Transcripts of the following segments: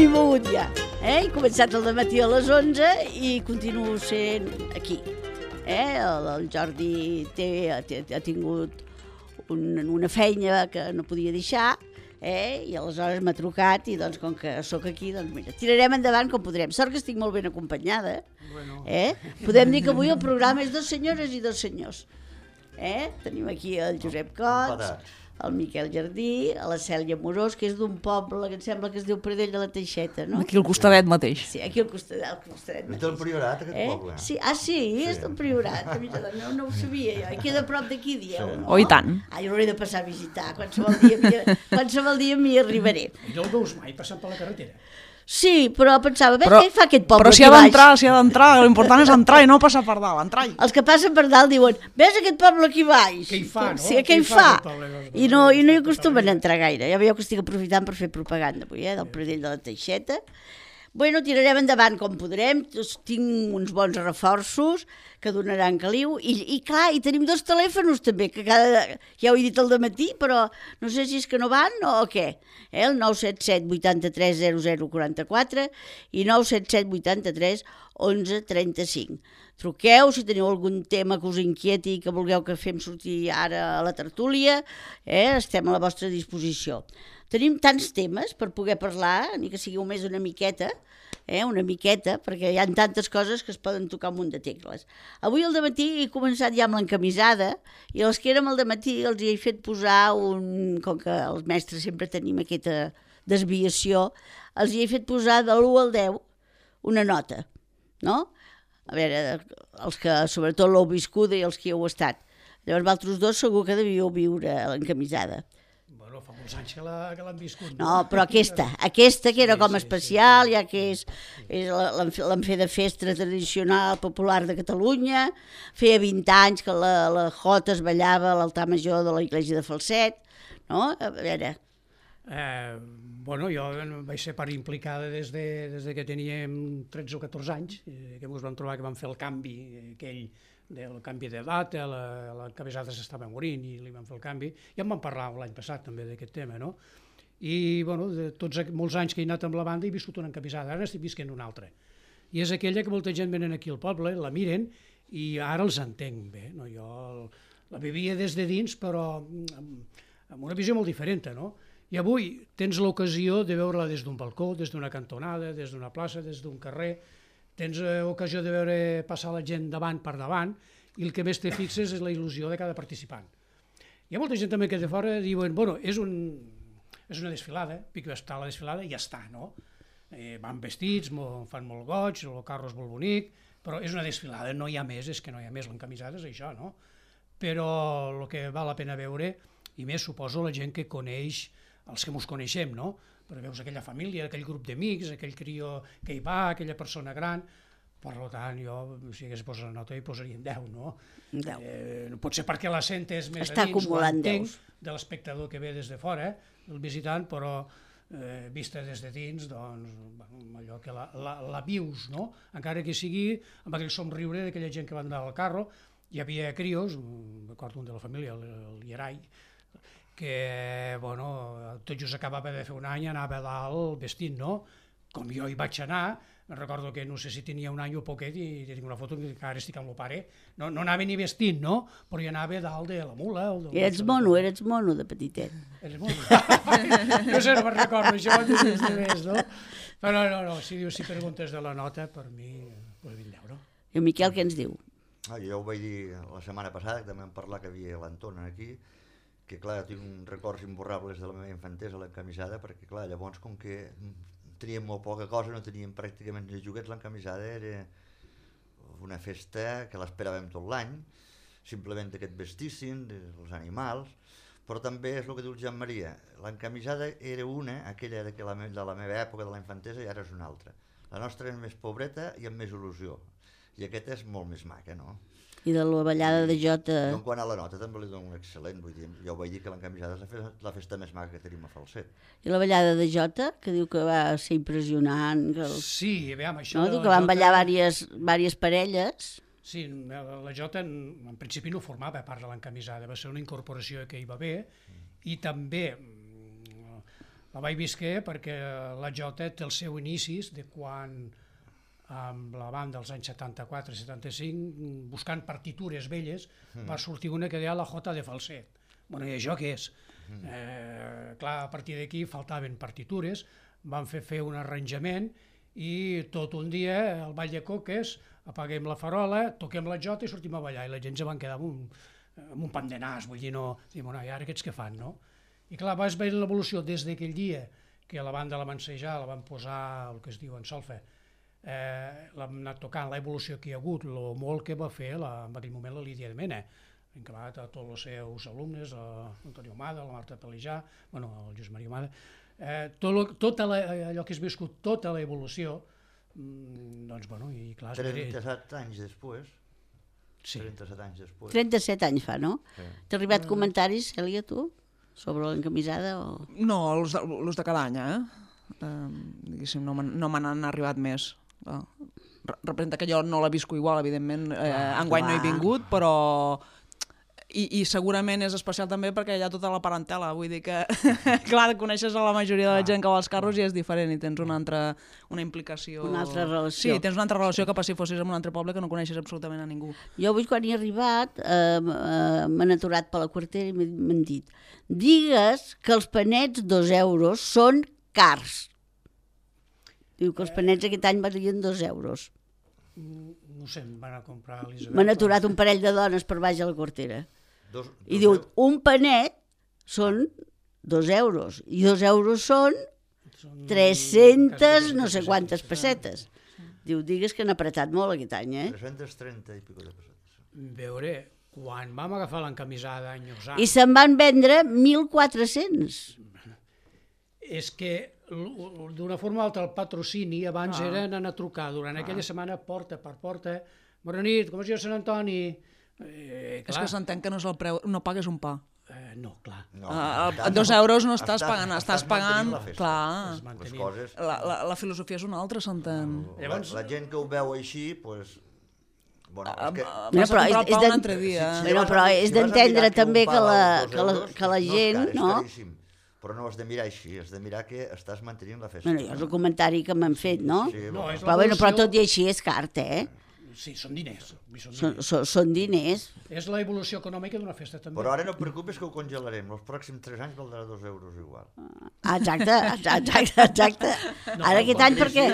m'he mogut ja. He començat el dematí a les 11 i continuo sent aquí. El Jordi ha tingut una feina que no podia deixar, i aleshores m'ha trucat i doncs com que sóc aquí, doncs mira, tirarem endavant com podrem. Sort que estic molt ben acompanyada. Podem dir que avui el programa és 2 senyores i 2 senyors. Tenim aquí el Josep Cots, el Miquel Jardí, la Cèlia Morós, que és d'un poble que em sembla que es diu Pradell de la Teixeta, no? Aquí al costadet mateix. Sí, aquí al costadet mateix. És del Priorat, aquest poble. Sí, és del Priorat. No ho sabia jo. I queda a prop d'aquí, dieu, no? Oh, i tant. Jo l'hauré de passar a visitar. Qualsevol dia m'hi arribaré. I no el veus mai passant per la carretera? Sí, però pensava, què fa aquest poble però aquí baix? Però si ha d'entrar, l'important és entrar i no passar per dalt, entrar-hi. Els que passen per dalt diuen, ves aquest poble aquí baix? Què hi fa, no? Sí, què hi fa? I no hi acostumen a entrar gaire. Ja veieu que estic aprofitant per fer propaganda avui, del Pradell de la Teixeta. Bueno, tirarem endavant com podrem, tinc uns bons reforços que donaran caliu, i clar, i tenim 2 telèfons també, que ja ho he dit al dematí, però no sé si és que no van o què. El 977 83 00 44 i 977 83 11 35. Truqueu si teniu algun tema que us inquieti i que vulgueu que fem sortir ara a la tertúlia, estem a la vostra disposició. Tenim tants temes per poder parlar, ni que sigui només una miqueta, perquè hi ha tantes coses que es poden tocar un munt de tecles. Avui al dematí he començat ja amb l'encamisada i els que érem al dematí els hi he fet posar com que els mestres sempre tenim aquesta desviació, els hi he fet posar de l'1 al 10 una nota, no? A veure, els que sobretot l'heu viscuda i els que hi heu estat. Llavors, vosaltres 2 segur que devíeu viure l'encamisada. Bueno, fa molts anys que l'han viscut. No, però aquesta que era com especial, ja que l'han fet de festa tradicional popular de Catalunya, feia 20 anys que la Jota es ballava a l'altar major de la Iglesia de Falset, no? A veure... Bueno, jo vaig ser part implicada des que teníem 13 o 14 anys, que ens vam trobar que vam fer el canvi aquell del canvi d'edat, l'encamisada s'estava morint i li vam fer el canvi, i en vam parlar l'any passat també d'aquest tema, no? I, bueno, de molts anys que he anat amb la banda he viscut una encamisada, ara estic visquent una altra. I és aquella que molta gent venen aquí al poble, la miren, i ara els entenc bé, no? Jo la vivia des de dins, però amb una visió molt diferent, no? I avui tens l'ocasió de veure-la des d'un balcó, des d'una cantonada, des d'una plaça, des d'un carrer, tens ocasió de veure passar la gent davant per davant i el que més te fixes és la il·lusió de cada participant. Hi ha molta gent també que de fora diuen, bueno, és una desfilada, pic està la desfilada i ja està, no? Van vestits, fan molt goig, el carro és molt bonic, però és una desfilada, no hi ha més, és que no hi ha més, l'encamisada és això, no? Però el que val la pena veure, i més suposo la gent que coneix els que ens coneixem, no? Però veus aquella família, aquell grup d'amics, aquell crió que hi va, aquella persona gran, per tant, jo, si hagués posat la nota, hi posaria 10, no? 10. Potser perquè la sentes més a dins, ho entenc, de l'espectador que ve des de fora, el visitant, però vista des de dins, doncs, allò que la vius, no? Encara que sigui amb aquell somriure d'aquella gent que va andar al carro, hi havia crios, recordo un de la família, el Llerai, que, bueno, tot just acabava de fer un any, anava a dalt vestit, no? Com jo hi vaig anar, recordo que no sé si tenia un any o poquet i tinc una foto que ara estic amb el pare, no anava ni vestit, no? Però hi anava dalt de la mula. Eres mono de petitet. Eres mono? No sé, no me'n recordo això, no? Però no, si preguntes de la nota, per mi, pues 20 euros. I el Miquel què ens diu? Jo ho vaig dir la setmana passada, que també vam parlar que havia l'Anton aquí, que clar, tinc records imborrables de la meva infantesa a l'encamisada, perquè clar, llavors com que teníem molt poca cosa, no teníem pràcticament ni joguets, l'encamisada era una festa que l'esperàvem tot l'any, simplement que et vestissin, els animals, però també és el que diu el Joan Maria, l'encamisada era una, aquella de la meva època de la infantesa, i ara és una altra. La nostra és més pobreta i amb més il·lusió, i aquesta és molt més maca, no? I de la ballada de Jota... Jo en quant a la nota també li dono un excel·lent, vull dir, jo vaig dir que l'encamisada és la festa més maca que tenim a Falset. I la ballada de Jota, que diu que va ser impressionant. Sí, veiem això... No? Diu que van ballar diverses parelles. Sí, la Jota en principi no formava part de l'encamisada, va ser una incorporació que hi va haver, i també La vaig visquer perquè la jota té el seu inicis de quan, amb la banda dels anys 74-75, buscant partitures velles, va sortir una que deia la Jota de falset. Bueno, i això què és? Clar, a partir d'aquí faltaven partitures, van fer un arranjament i tot un dia al Ball de Coques apaguem la farola, toquem la jota i sortim a ballar, i la gent se van quedar amb un pam de nas, vull dir, no, i ara aquests què fan, no? I clar, vas veure l'evolució des d'aquell dia que la banda la van assajar, la van posar el que es diu en solfa, l'hem anat tocant, l'evolució que hi ha hagut, el molt que va fer en aquell moment la Lídia de Mena, encabat a tots els seus alumnes, l'Antonio Omada, la Marta Pelijà, bueno, el Lluís Maria Omada, tot allò que has viscut, tota l'evolució, doncs, bueno, i clar... 37 anys després. Sí. 37 anys després. 37 anys fa, no? Sí. T'ha arribat comentaris, Cèlia, tu? Sobre l'encamisada o...? No, els de cada any, diguéssim, no me n'han arribat més. Representa que jo no la visco igual, evidentment, enguany no he vingut, però... I segurament és especial també perquè hi ha tota la parentela, vull dir que, clar, coneixes a la majoria de la gent que va als carros i és diferent i tens una implicació... Una altra relació. Sí, tens una altra relació que per si fossis en un altre poble que no coneixes absolutament a ningú. Jo avui quan hi he arribat m'han aturat per la quartera i m'han dit digues que els panets 2 euros són cars. Diu que els panets aquest any valien 2 euros. No sé, em van a comprar l'Isabel. M'han aturat un parell de dones per baix a la quartera. I diu, euros. un panet són 2 euros i 2 euros són 300 no sé quantes pessetes. Diu, digues que han apretat molt aquest any, 330 i pico de pessetes. Veure, quan vam agafar l'encamisada a Enyossà... I se'n van vendre 1.400. És que d'una forma o altra el patrocini abans era anar a trucar durant aquella setmana porta per porta. Bona nit, com es diu Sant Antoni? És que s'entén que no és el preu, no pagues un pa. No, clar. A 2 euros no estàs pagant, estàs pagant... Clar, Les coses... la filosofia és una altra, s'entén. La gent que ho veu així, doncs... Bueno, és que... Vas a comprar el pa un altre dia. Però és d'entendre també que la gent, no? Però no has de mirar així, has de mirar que estàs mantenint la festa. Bueno, és el comentari que m'han fet, no? Sí, Però tot i així és car, Sí, són diners. Són diners. És la evolució econòmica d'una festa, també. Però ara no et preocupis que ho congelarem. Els pròxims 3 anys valdrà 2 euros igual. Exacte. Ara aquest any perquè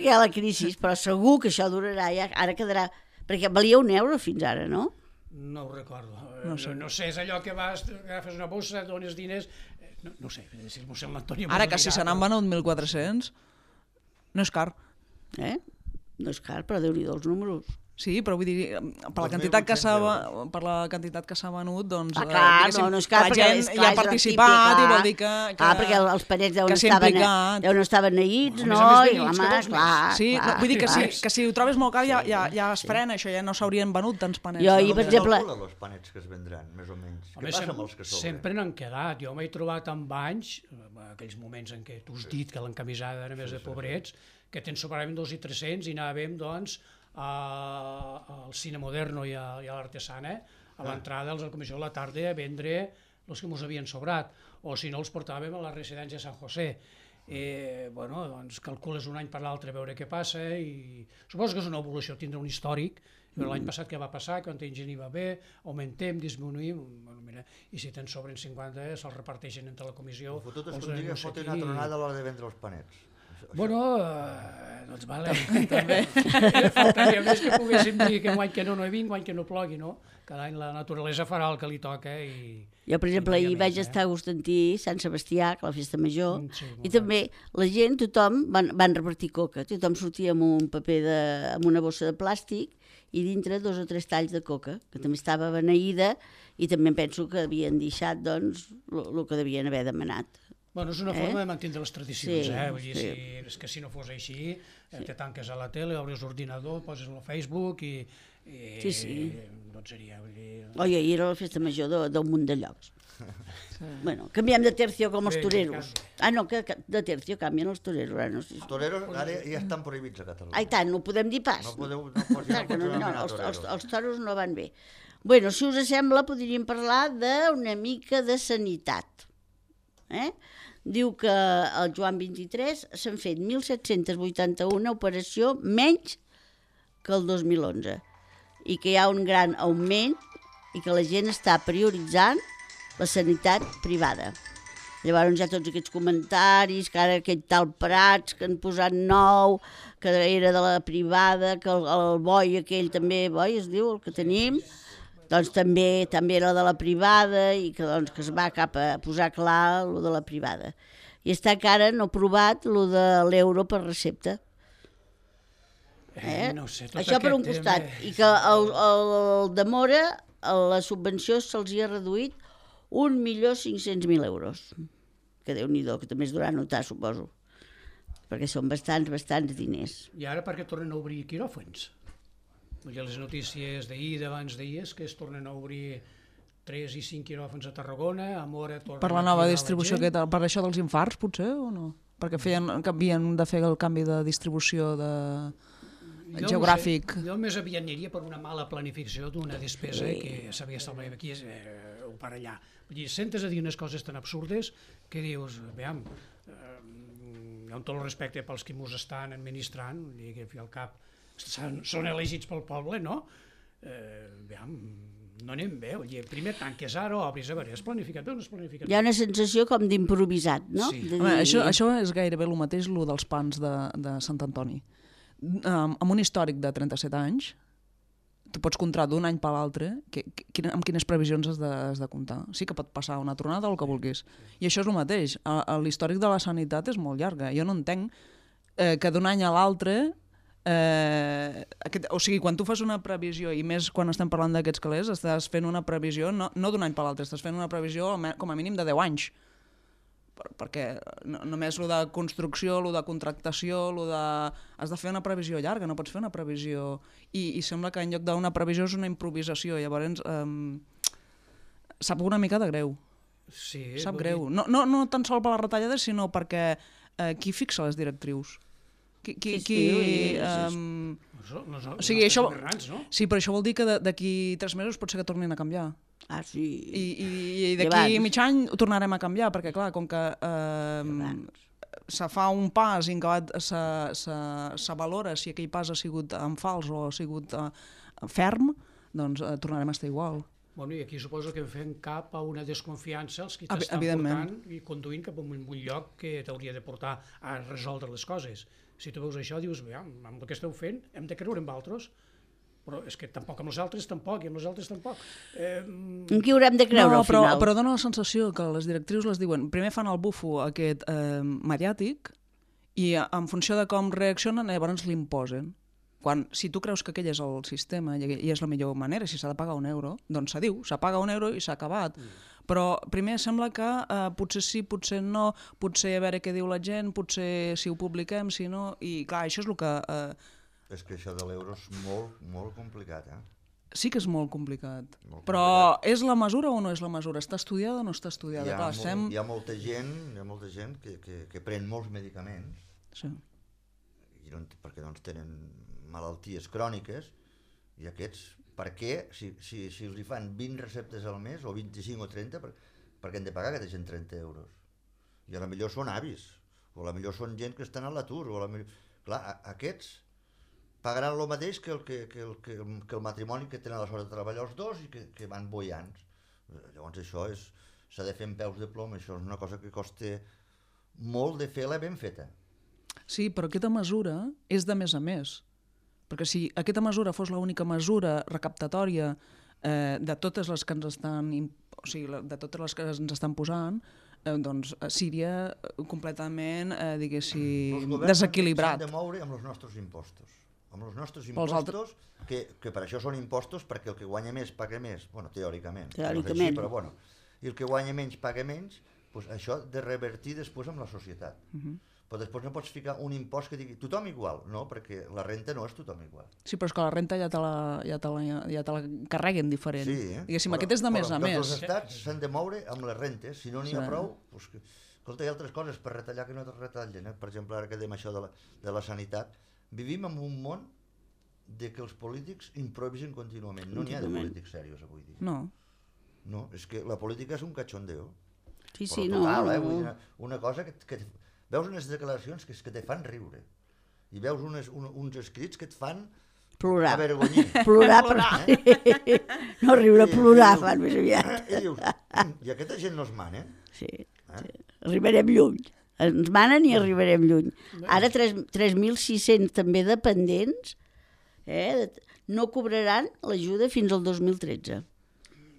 hi ha la crisi, però segur que això durarà, ara quedarà... Perquè valia 1 euro fins ara, no? No ho recordo. No sé, és allò que vas, agafes una bossa, dones diners... No sé, si el mossèn l'Antoni... Ara que si se n'han venut 1.400, no és car. No és car, però Déu-n'hi-do els números. Sí, però vull dir, per la quantitat que s'ha venut, doncs... Clar, no és car, perquè la gent hi ha participat i vol dir que... Clar, perquè els parets deuen estar beneïts, no? Sí, vull dir que si ho trobes molt car ja es frena això, ja no s'haurien venut tants panets. Jo ahir, per exemple... Els panets que es vendran, més o menys. Què passa amb els que sobren? Sempre n'han quedat. Jo m'he trobat amb anys, aquells moments en què tu has dit que l'encamisada era més de pobrets, que te'n sobraven 2 i 300 i anàvem, doncs, al Cine Moderno i a l'Artesana, a l'entrada dels Comissió de la tarda a vendre els que ens havien sobrat, o si no els portàvem a la residència de Sant José. Bueno, doncs calcules un any per l'altre a veure què passa i suposo que és una evolució, tindrà un històric. L'any passat què va passar, quan gent hi va bé, augmentem, disminuïm, i si te'n sobren 50 se'ls reparteixen entre la comissió. Fotut és que un dia fotin una tronada a l'hora de vendre els panets. Bueno, doncs vale, també. Faltaria més que poguéssim dir que guany que no hi vinc, guany que no plogui, no? Cada any la naturalesa farà el que li toca i... Jo, per exemple, ahir vaig estar a Constantí, Sant Sebastià, que la festa major, i també la gent, tothom, van repartir coca, tothom sortia amb un paper amb una bossa de plàstic i dintre 2 o 3 talls de coca, que també estava beneïda i també penso que havien deixat, doncs, el que devien haver demanat. Bueno, és una forma de mantenir les tradicions, vull dir, és que si no fos així, te tanques a la tele, obres l'ordinador, poses al Facebook i no et seria, vull dir... Oi, ahir era la festa major d'un munt de llocs. Bueno, canviem de tercio com els toreros. No, que de tercio canvien els toreros. Els toreros ara ja estan prohibits a Catalunya. Ai tant, no podem dir pas. No podeu anomenar toreros. Els toros no van bé. Bueno, si us sembla, podríem parlar d'una mica de sanitat. diu que al Joan 23 s'han fet 1.781 operacions menys que el 2011 i que hi ha un gran augment i que la gent està prioritzant la sanitat privada. Llavors hi ha tots aquests comentaris, que ara aquest tal Prats que han posat nou, que era de la privada, que el boi aquell també, boi es diu, el que tenim, doncs també era de la privada i que, doncs, que es va cap a posar clar el de la privada. I està encara no aprovat el de l'euro per recepta. No sé, això per un costat. I que el de Mora, la subvenció se'ls hi ha reduït 1.500.000 euros. Que Déu-n'hi-do, que també es durà a notar, suposo. Perquè són bastants diners. I ara per què tornen a obrir quiròfans? Perquè les notícies d'ahir, d'abans d'ahir, és que es tornen a obrir 3 i 5 quiròfans a Tarragona, a Mora tornen per la nova distribució, per això dels infarts, potser, o no? Perquè havien de fer el canvi de distribució geogràfic. Jo més aviat aniria per una mala planificació d'una despesa que s'havia establit aquí o per allà. Vull dir, sentes a dir unes coses tan absurdes que dius, veiem, amb tot el respecte pels que ens estan administrant, vull dir que al cap són elegits pel poble, no? Veiem, no anem bé, primer tanques ara, obris, a veure, és planificat o no és planificat? Hi ha una sensació com d'improvisat, no? Sí. Home, això és gairebé el mateix, el dels pans de Sant Antoni. Amb un històric de 37 anys, tu pots comptar d'un any per l'altre amb quines previsions has de comptar. Sí que pot passar una tronada o el que vulguis. I això és el mateix. L'històric de la sanitat és molt llarga. Jo no entenc que d'un any a l'altre... o sigui, quan tu fas una previsió, i més quan estem parlant d'aquests calés, estàs fent una previsió no d'un any per l'altre, estàs fent una previsió com a mínim de 10 anys. Perquè només el de construcció, el de contractació, has de fer una previsió llarga, no pots fer una previsió... I sembla que en lloc d'una previsió és una improvisació, llavors sap una mica de greu. Sí, sap greu. No tan sol per les retallades, sinó perquè qui fixa les directrius? O sigui, això... Sí, però això vol dir que d'aquí 3 mesos pot ser que tornin a canviar. Ah, sí. I d'aquí mig any ho tornarem a canviar, perquè clar, com que se fa un pas i en acabat se valora si aquell pas ha sigut en fals o ha sigut ferm, doncs tornarem a estar igual. Bueno, i aquí suposo que fem cap a una desconfiança els que t'estan portant i conduint cap a un lloc que t'hauria de portar a resoldre les coses. Si tu veus això, dius, amb el que esteu fent hem de creure en altres, però és que tampoc amb els altres tampoc, i amb els altres tampoc. En qui haurem de creure al final? Però dona la sensació que les directrius les diuen, primer fan el bufo aquest mediàtic i en funció de com reaccionen llavors l'imposen. Si tu creus que aquell és el sistema i és la millor manera, si s'ha de pagar €1, doncs se diu, se paga €1 i s'ha acabat. Però primer sembla que potser sí, potser no, potser a veure què diu la gent, potser si ho publiquem, si no... I clar, això és el que... És que això de l'euro és molt, molt complicat, Sí que és molt complicat. Però és la mesura o no és la mesura? Està estudiada o no està estudiada? Hi ha molta gent que pren molts medicaments, perquè tenen malalties cròniques, i aquests, per què, si els hi fan 20 receptes al mes, o 25 o 30, per què han de pagar aquesta gent €30? I a la millor són avis, o a la millor són gent que estan a l'atur, o a la millor... Clar, aquests pagaran el mateix que el matrimoni que tenen la sort de treballar els dos i que van boiants. Llavors això s'ha de fer amb peus de plom, això és una cosa que costa molt de fer-la ben feta. Sí, però aquesta mesura és de més a més. Perquè si aquesta mesura fos l'única mesura recaptatòria de totes les que ens estan, o sigui, de totes les que ens estan posant, doncs seria completament, diguéssim, desequilibrat. S'han de moure amb els nostres impostos. Amb els nostres impostos, que per això són impostos, perquè el que guanya més paga més, bueno, teòricament. Teòricament. Però bueno, i el que guanya menys paga menys, doncs això de revertir després amb la societat. Però després no pots ficar un impost que digui tothom igual, no, perquè la renta no és tothom igual. Sí, però és que la renta ja te la carreguen diferent. Sí, diguéssim, aquest és de més a més. Els estats s'han de moure amb les rentes, si no n'hi ha prou, doncs, escolta, hi ha altres coses per retallar que no es retallen, Per exemple, ara que dèiem això de la sanitat, vivim en un món de que els polítics improvisen contínuament. No n'hi ha de polítics serios avui dia. No. No, és que la política és un cachondeo. Sí, però no. total, vull dir, una cosa que veus unes declaracions que te fan riure i veus uns escrits que et fan Plorar. avergonyir. Plorar. No riure, plorar, fan més aviat. I dius, i aquesta gent no es mana? Sí. Arribarem lluny. Ens manen i arribarem lluny. Ara 3.600 també dependents no cobraran l'ajuda fins al 2013.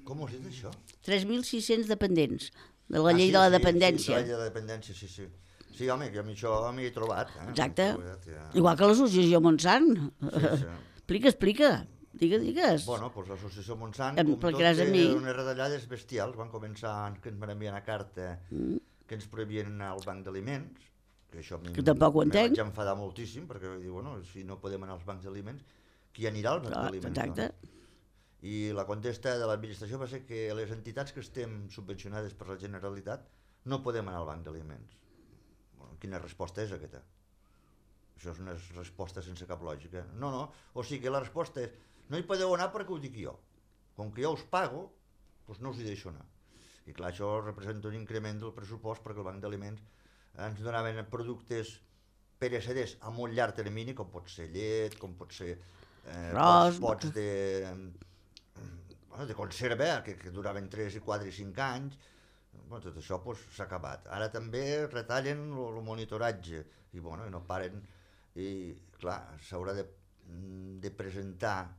Com ho has dit, això? 3.600 dependents de la llei de la dependència. Sí, de la llei de la dependència, sí. Sí, home, que amb això m'hi he trobat. Exacte. Igual que l'associació Montsant. Explica. Digues. Bueno, doncs l'associació Montsant, com tot, té unes retallades bestials. Van començar que ens van enviar una carta que ens prohibien anar al banc d'aliments, que això que tampoc ho entenc. Me vaig enfadar moltíssim, perquè vaig dir, bueno, si no podem anar als bancs d'aliments, qui anirà als bancs d'aliments? Exacte. No? I la contesta de l'administració va ser que les entitats que estem subvencionades per la Generalitat no podem anar al banc d'aliments. Bueno, quina resposta és aquesta? Això és una resposta sense cap lògica. No, o sigui que la resposta és no hi podeu anar perquè ho dic jo. Com que jo us pago, doncs no us hi deixo anar. I clar, això representa un increment del pressupost perquè el banc d'aliments ens donaven productes pereceders a molt llarg termini, com pot ser llet, com pot ser pots de conserva, que duraven 3, 4 i 5 anys. Bueno, tot això s'ha acabat. Ara també retallen el monitoratge i no paren. I clar, s'haurà de presentar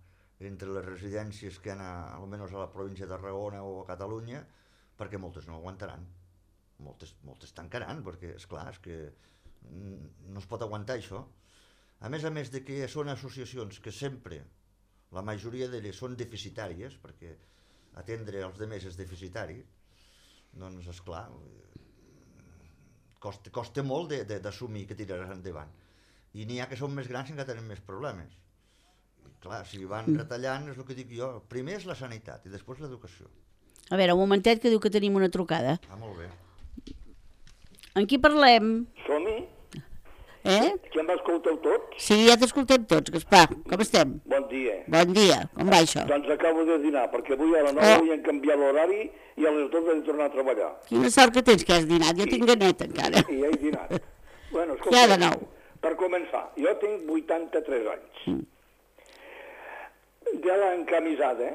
entre les residències que hi ha almenys a la província de Tarragona o a Catalunya, perquè moltes no aguantaran. Moltes tancaran, perquè, esclar, és que no es pot aguantar això. A més de que són associacions que sempre, la majoria d'elles són deficitàries, perquè atendre els altres és deficitari, doncs, esclar, costa molt d'assumir que tiraràs endavant. I n'hi ha que són més grans i encara tenen més problemes. I clar, si van retallant, és el que dic jo, primer és la sanitat i després l'educació. A veure, un momentet que diu que tenim una trucada. Molt bé. En qui parlem? Som-hi? Que em escolteu tots? Sí, ja t'escoltem tots, Gaspar. Com estem? Bon dia. Bon dia. Com va això? Doncs acabo de dinar, perquè avui a les 9 havien canviat l'horari i a les 12 he de tornar a treballar. Quina sort que tens que has dinat. Jo tinc ganet encara. I ja he dinat. Bueno, escolta, ja de nou. Per començar, jo tinc 83 anys. De l'encamisada,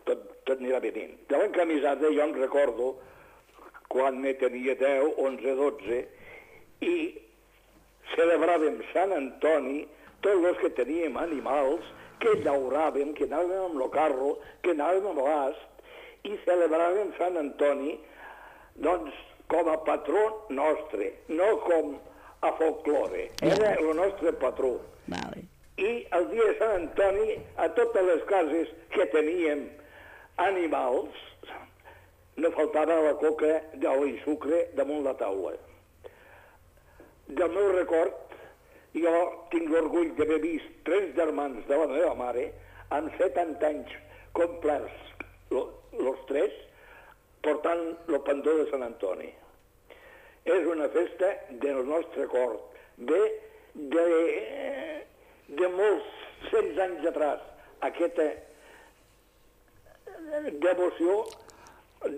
tot anirà venint, de l'encamisada jo em recordo quan me tenia 10, 11, 12 i celebràvem Sant Antoni, tots els que teníem animals, que llauràvem, que anàvem amb el carro, que anàvem amb l'ast, i celebràvem Sant Antoni, doncs, com a patró nostre, no com a folklore. Era el nostre patró. Vale. I el dia de Sant Antoni, a totes les cases que teníem animals, no faltava la coca d'oli i sucre damunt la taula. Del meu record, jo tinc l'orgull d'haver vist 3 germans de la meva mare amb 70 anys complerts, els 3, portant el pendó de Sant Antoni. És una festa del nostre cor, de molts cents anys atrás, aquesta devoció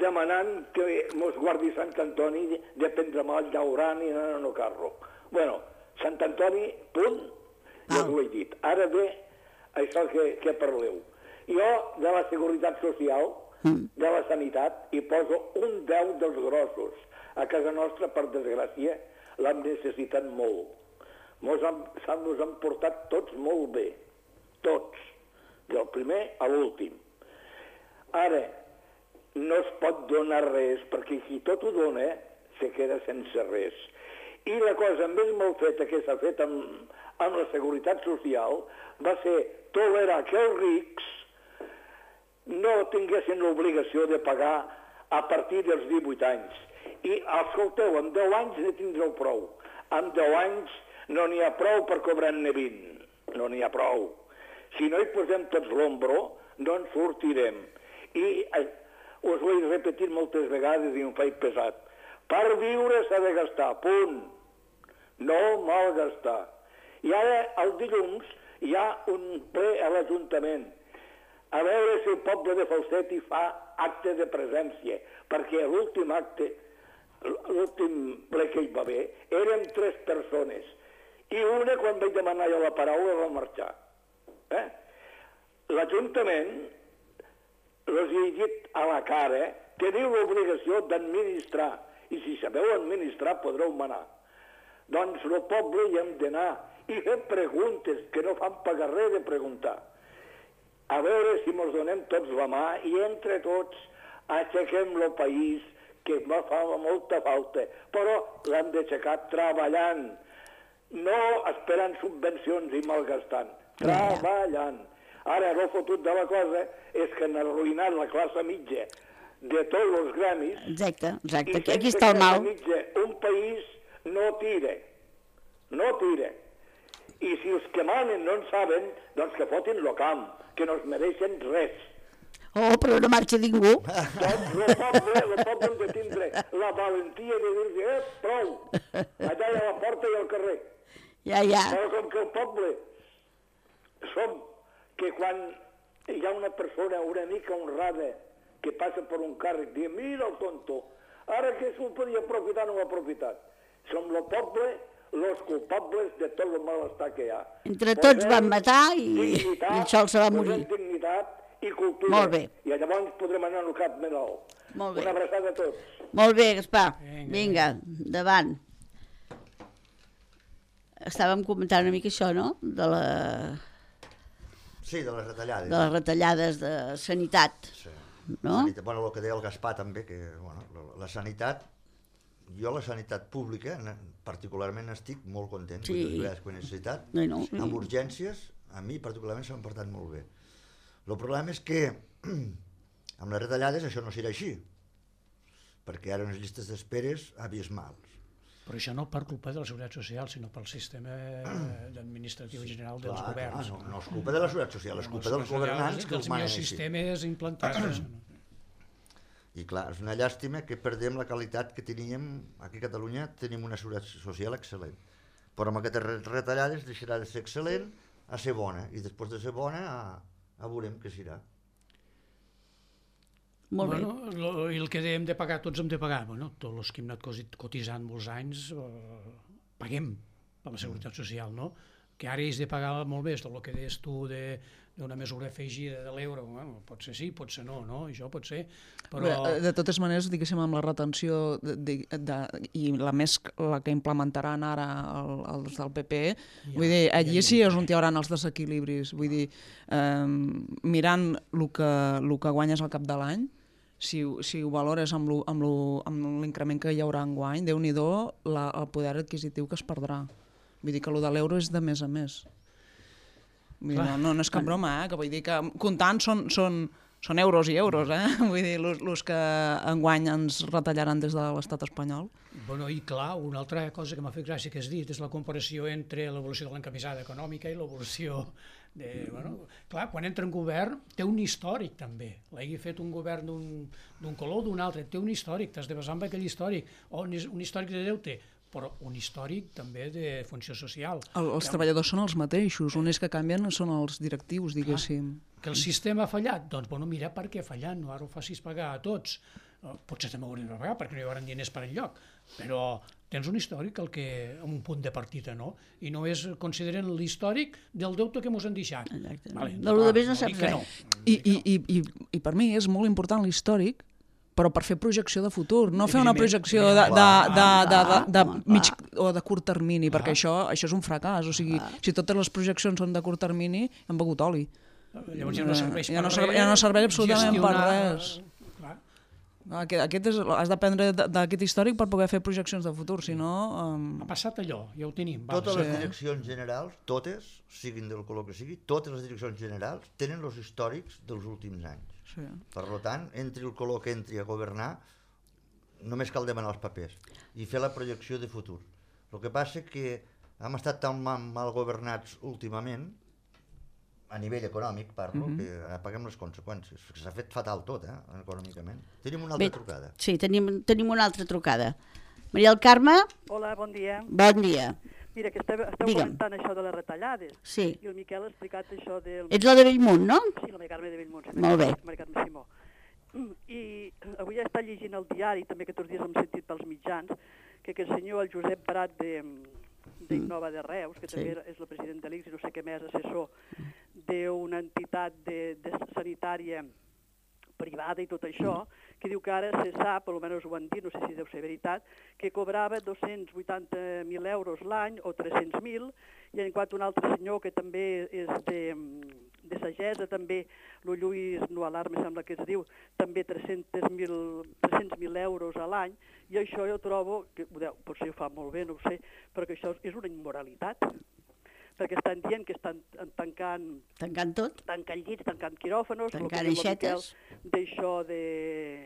demanant que mos guardi Sant Antoni de prendre mal llaurant i anar en el carro. Bueno, Sant Antoni, punt, ja ho he dit. Ara ve això que parleu. Jo, de la Seguretat Social, de la Sanitat, hi poso un 10 dels grossos. A casa nostra, per desgràcia, l'hem necessitat molt. Mos han portat tots molt bé. Tots. Del primer a l'últim. Ara, no es pot donar res, perquè qui tot ho dona se queda sense res. I la cosa més mal feta que s'ha fet amb la Seguretat Social va ser tolerar que els rics no tinguessin l'obligació de pagar a partir dels 18 anys. I, escolteu, amb 10 anys ne tindreu prou. Amb 10 anys no n'hi ha prou per cobrar-ne 20. No n'hi ha prou. Si no hi posem tots l'ombro, no en sortirem. I us ho he repetit moltes vegades i em faig pesat. Per viure s'ha de gastar, punt. No malgastar. I ara, el dilluns, hi ha un ple a l'Ajuntament. A veure si el poble de Falset hi fa acte de presència, perquè l'últim acte l'últim ple que hi va haver, érem 3 persones. I una, quan vaig demanar jo la paraula, va marxar. L'Ajuntament, els he dit a la cara, teniu l'obligació d'administrar, i si sabeu administrar podreu manar. Doncs el poble hi hem d'anar i fer preguntes, que no fan pagar res de preguntar. A veure si ens donem tots la mà i entre tots aixequem el país, que me fa molta falta, però l'hem d'aixecar treballant, no esperant subvencions i malgastant, treballant. Ara, el fotut de la cosa és que han arruïnat la classe mitja de tots els gremis. Exacte, aquí està el mal. Mitja, un país no tira. I si els que manen no en saben, doncs que fotin el camp, que no es mereixen res. Oh, però no marxa ningú. Doncs el poble hem de tindre la valentia de dir-li, prou, allà a la porta i al carrer. Ja. Però com que el poble som que quan hi ha una persona una mica honrada que passa per un càrrec, diu, mira el tonto, ara que s'ho podia aprofitar no ho ha aprofitat. Som el poble els culpables de tot el malestar que hi ha. Entre tots van matar i el Sol se va morir. Dignitat i cultura. Molt bé. I llavors podrem anar al cap més alt. Molt bé. Una abraçada a tots. Molt bé, Gaspar. Vinga, endavant. Estàvem comentant una mica això, no? Sí, de les retallades. De les retallades de sanitat. Sí. No? Bueno, el que deia el Gaspar també, que la sanitat, jo la sanitat pública particularment estic molt content, sí. Les vegades que ho he necessitat, amb urgències, a mi particularment s'han portat molt bé. El problema és que amb les retallades això no serà així, perquè ara unes llistes d'esperes abismals. Però això no per culpa de la Seguretat Social, sinó pel sistema administratiu general dels governs. No és culpa de la Seguretat Social, és culpa dels governants que els manen així. Els sistemes implantats. I clar, és una llàstima que perdem la qualitat que teníem aquí a Catalunya, tenim una Seguretat Social excel·lent. Però amb aquestes retallades deixarà de ser excel·lent a ser bona, i després de ser bona a veurem què serà. Molt bé. I el que hem de pagar, tots hem de pagar. Tots els que hem anat cotitzant molts anys, paguem per la Seguretat Social, no? Que ara és de pagar molt més del que deies tu d'una mesura afegida de l'euro. Pot ser sí, pot ser no, això pot ser. Però... De totes maneres, diguéssim, amb la retenció i la que implementaran ara els del PP, vull dir, allí sí és on hi haurà els desequilibris. Vull dir, mirant el que guanyes al cap de l'any, si ho valores amb l'increment que hi haurà enguany, Déu-n'hi-do el poder adquisitiu que es perdrà. Vull dir que el de l'euro és de més a més. No és cap broma, que vull dir que comptant són euros i euros, vull dir, els que enguany ens retallaran des de l'estat espanyol. I clar, una altra cosa que m'ha fet gràcia que has dit és la comparació entre l'evolució de l'encamisada econòmica i l'evolució de... Clar, quan entra en govern té un històric també, l'hagi fet un govern d'un color o d'un altre, té un històric, t'has de basar en aquell històric, o un històric de deute, però un històric també de funció social. Els treballadors són els mateixos, únics que canvien són els directius, diguéssim. Que el sistema ha fallat? Doncs, mira per què ha fallat, no ara ho facis pagar a tots. Potser també ho hauríem de pagar perquè no hi haurà diners per enlloc, però tens un històric amb un punt de partida, no? I no consideren l'històric del deute que ens han deixat. Exacte. De lo de més no saps res. I per mi és molt important l'històric, però per fer projecció de futur, no fer una projecció de mig o de curt termini, perquè això és un fracàs. O sigui, si totes les projeccions són de curt termini, hem begut oli. Llavors ja no serveix per res. Ja no serveix absolutament per res. Has d'aprendre d'aquest històric per poder fer projeccions de futur, si no... Ha passat allò, ja ho tenim. Totes les direccions generals, totes, siguin del color que sigui, totes les direccions generals tenen els històrics dels últims anys. Per tant, entri el color que entri a governar, només cal demanar els papers i fer la projecció de futur. El que passa és que hem estat tan mal governats últimament, a nivell econòmic parlo, que paguem les conseqüències. S'ha fet fatal tot, econòmicament. Tenim una altra trucada. Sí, tenim una altra trucada. Maria del Carme? Hola, bon dia. Bon dia. Mira, que esteu comentant això de les retallades. Sí. I el Miquel ha explicat això del... Ets la de Bellmunt, no? Sí, la Maria Carme de Bellmunt. Molt bé. Maria Carme Simó. I avui he estat llegint el diari, també aquests dies hem sentit pels mitjans, que aquest senyor, el Josep Prat d'Innova de Reus, que també és el president de l'ICS i no sé què més, assessor d'una entitat sanitària privada i tot això, que diu que ara se sap, almenys ho han dit, no sé si deu ser veritat, que cobrava 280.000 euros l'any o 300.000, i en quant a un altre senyor que també és de sagessa, també el Lluís Nualar, me sembla que es diu, també 300.000 euros a l'any, i això jo trobo, que potser ho fa molt bé, no ho sé, però que això és una immoralitat, perquè estan dient que estan tancant... Tancant tot? Tancant llits, tancant quiròfanos... Tancant aixetes. D'això que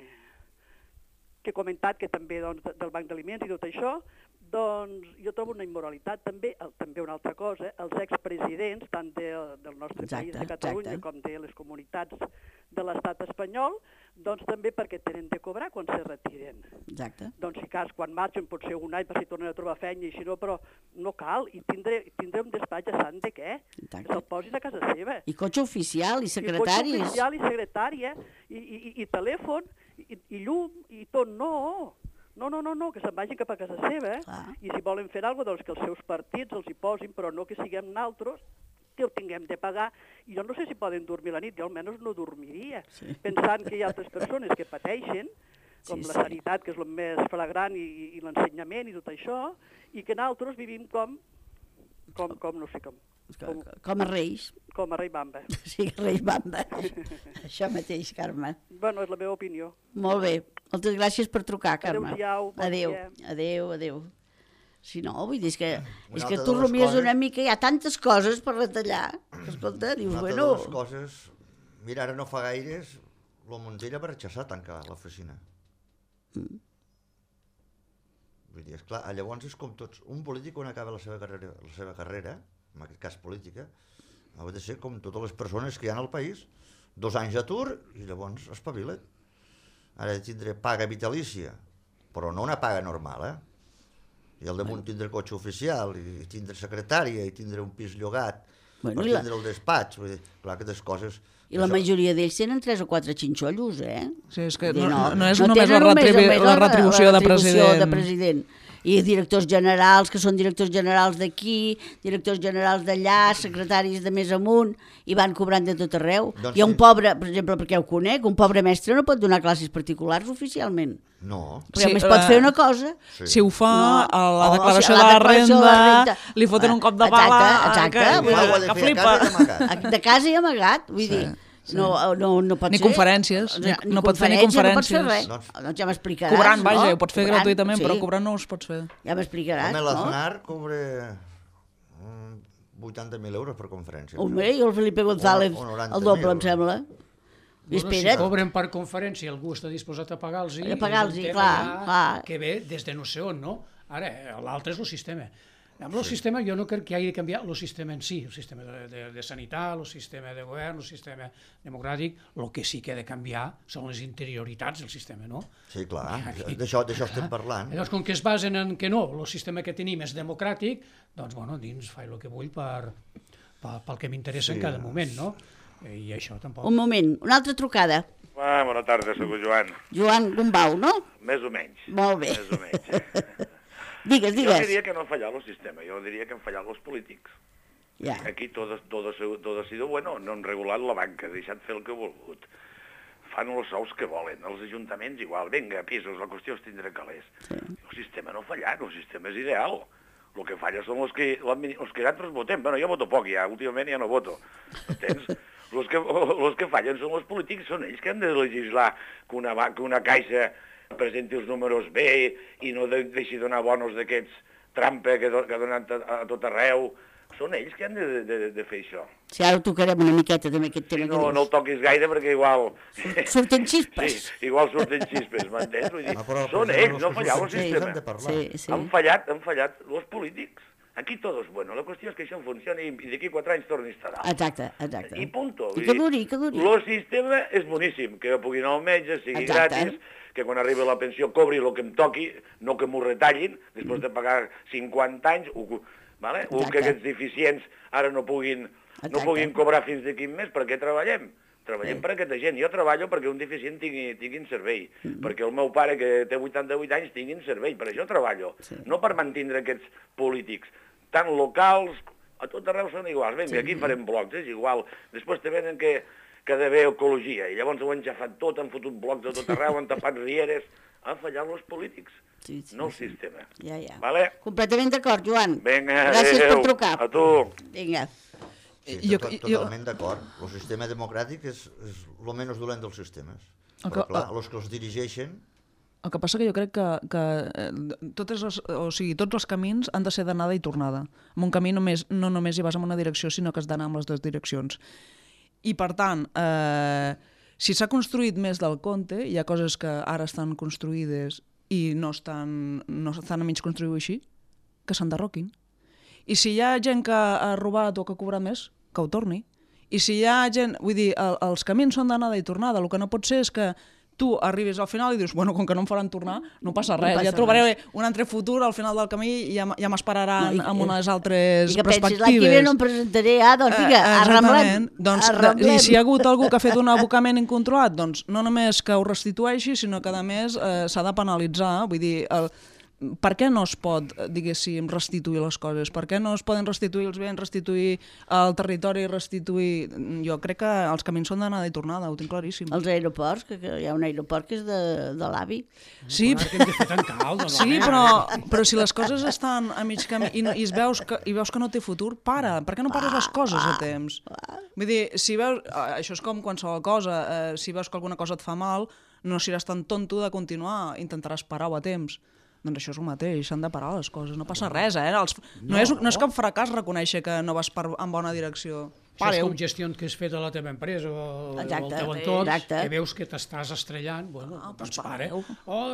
he comentat, que també del Banc d'Aliments i tot això, doncs jo trobo una immoralitat. També una altra cosa, els expresidents, tant del nostre país, de Catalunya, com de les comunitats de l'estat espanyol, doncs també perquè tenen de cobrar quan se retiren. Exacte. Doncs si cas, quan marxen pot ser un any per si tornen a trobar feina i si no, però no cal. I tindré un despatx a sant de què? Que se'l posin a casa seva. I cotxe oficial, i secretaris. I cotxe oficial, i secretària, i telèfon, i llum, i tot. No, que se'n vagin cap a casa seva. I si volen fer alguna cosa, doncs que els seus partits els hi posin, però no que siguem naltros que ho tinguem de pagar. I jo no sé si poden dormir la nit, jo almenys no dormiria, pensant que hi ha altres persones que pateixen, com la sanitat, que és el més flagrant, i l'ensenyament i tot això, i que nosaltres vivim com no sé com. Com a reis. Com a rei Bamba. Sí, reis Bamba. Això mateix, Carme. Bueno, és la meva opinió. Molt bé. Moltes gràcies per trucar, Carme. Adéu-siau. Adéu. Si no, vull dir, és que tu rumies una mica, hi ha tantes coses per retallar, que escolta, dius, bueno... Una de les coses, mira, ara no fa gaires, la Montella va rechazar tancar l'oficina. Vull dir, esclar, llavors és com tots, un polític quan acaba la seva carrera, en aquest cas política, ha de ser com totes les persones que hi ha al país, 2 anys d'atur i llavors espavila't. Ara tindré paga vitalícia, però no una paga normal, I al damunt tindré cotxe oficial, i tindré secretària, i tindré un pis llogat, per tindre el despatx, vull dir, clar, aquestes coses... I la majoria d'ells tenen 3 o 4 xinxollos, Sí, és que no és només la retribució de president. I directors generals, que són directors generals d'aquí, directors generals d'allà, secretaris de més amunt, i van cobrant de tot arreu. Hi ha un pobre, per exemple, perquè ho conec, un pobre mestre no pot donar classes particulars oficialment. No. Perquè només pot fer una cosa. Si ho fa a la declaració de la renda, li foten un cop de bala que flipa. De casa i amagat, vull dir... No pot ni ser. Conferències, no pot fer ni conferències. No pot fer res. Doncs ja m'explicaràs. Cobrant, vaja, ho pots fer gratuïtament, però cobrant no ho pots fer. Ja m'explicaràs, no? L'Aznar cobra 80.000 euros per conferència. Home, i el Felipe González el doble, em sembla. Si cobren per conferència, algú està disposat a pagar-los, clar. Que ve des de no sé on, no? Ara, l'altre és el sistema. Amb el sistema jo no crec que hagi de canviar el sistema en si, el sistema de sanitat, el sistema de govern, el sistema democràtic, el que sí que ha de canviar són les interioritats del sistema, no? Sí, clar, d'això estem parlant. Llavors, com que es basen en que no, el sistema que tenim és democràtic, doncs, bueno, dins faig el que vull pel que m'interessa en cada moment, no? I això tampoc... Un moment, una altra trucada. Bona tarda, soc Joan. Joan Gombau, no? Més o menys. Molt bé. Més o menys. Digues. Jo diria que no ha fallat el sistema, jo diria que han fallat els polítics. Ja. Aquí tot ha sido bueno, no han regulat la banca, deixat fer el que ha volgut. Fan els sous que volen, els ajuntaments igual, vinga, pisos, la qüestió és tindre calés. Sí. El sistema no ha fallat, el sistema és ideal. El que falla són els que nosaltres votem. Bueno, jo voto poc ja, últimament ja no voto. Entens? Els que fallen són els polítics, són ells que han de legislar que una caixa presenti els números bé i no deixi donar bonos d'aquests trampa que ha donat a tot arreu. Són ells que han de fer això. Si ara ho tocarem una miqueta també aquest tema. No el toquis gaire perquè igual... Surten xispes. Sí, igual surten xispes, m'entens? Vull dir, són ells, no fallava el sistema. Han fallat els polítics. Aquí tot és bueno, la qüestió és que això funcioni i d'aquí 4 anys torni a estar. Exacte. I punto. I que duri. El sistema és boníssim, que pugui anar al metge, sigui gratis, que quan arribi la pensió cobri el que em toqui, no que m'ho retallin, després de pagar 50 anys, o que aquests deficients ara no puguin cobrar fins d'aquí un mes, per què treballem? Treballem per aquesta gent. Jo treballo perquè un deficient tinguin servei, perquè el meu pare, que té 88 anys, tinguin servei. Per això treballo. No per mantindre aquests polítics. Tant locals, a tot arreu són iguals. Vinga, aquí farem blocs, és igual. Després te venen que ha d'haver ecologia, i llavors ho han xafat tot, han fotut blocs de tot arreu, han tapat rieres. Han fallat els polítics, no el sistema. Ja. Vale? Completament d'acord, Joan. Vinga, gràcies per trucar. A tu. Vinga. Sí, totalment d'acord. El sistema democràtic és el menys dolent dels sistemes. Però clar, els que els dirigeixen... El que passa que jo crec que tots els camins han de ser d'anada i tornada. En un camí no només hi vas en una direcció, sinó que has d'anar en les dues direccions. I per tant, si s'ha construït més del compte, hi ha coses que ara estan construïdes i no estan a mig construir així, que s'enderroquin. I si hi ha gent que ha robat o que ha cobrat més, que ho torni. I si hi ha gent... Vull dir, els camins són d'anada i tornada. El que no pot ser és que tu arribis al final i dius, bueno, com que no em faran tornar, no passa res. Ja trobaré un altre futur al final del camí i ja m'esperaran amb unes altres perspectives. I que pensis, l'any que ve no em presentaré, doncs vinga, arramblem. I si hi ha hagut algú que ha fet un abocament incontrolat, doncs no només que ho restitueixi, sinó que a més s'ha de penalitzar. Vull dir, per què no es pot, diguéssim, restituir les coses? Per què no es poden restituir els béns, restituir el territori, restituir... Jo crec que els camins són d'anada i tornada, ho tinc claríssim. Els aeroports, que hi ha un aeroport que és de l'AVI. Sí, però si les coses estan a mig camí i veus que no té futur, para. Per què no pares les coses a temps? Vull dir, si veus... Això és com qualsevol cosa. Si veus que alguna cosa et fa mal, no seràs tan tonto de continuar, intentaràs parar-ho a temps. Doncs això és el mateix, s'han de parar les coses, no passa res, No és cap fracàs reconèixer que no vas en bona direcció. Això és com gestions que has fet a la teva empresa o al teu entorn, que veus que t'estàs estrellant, doncs pare.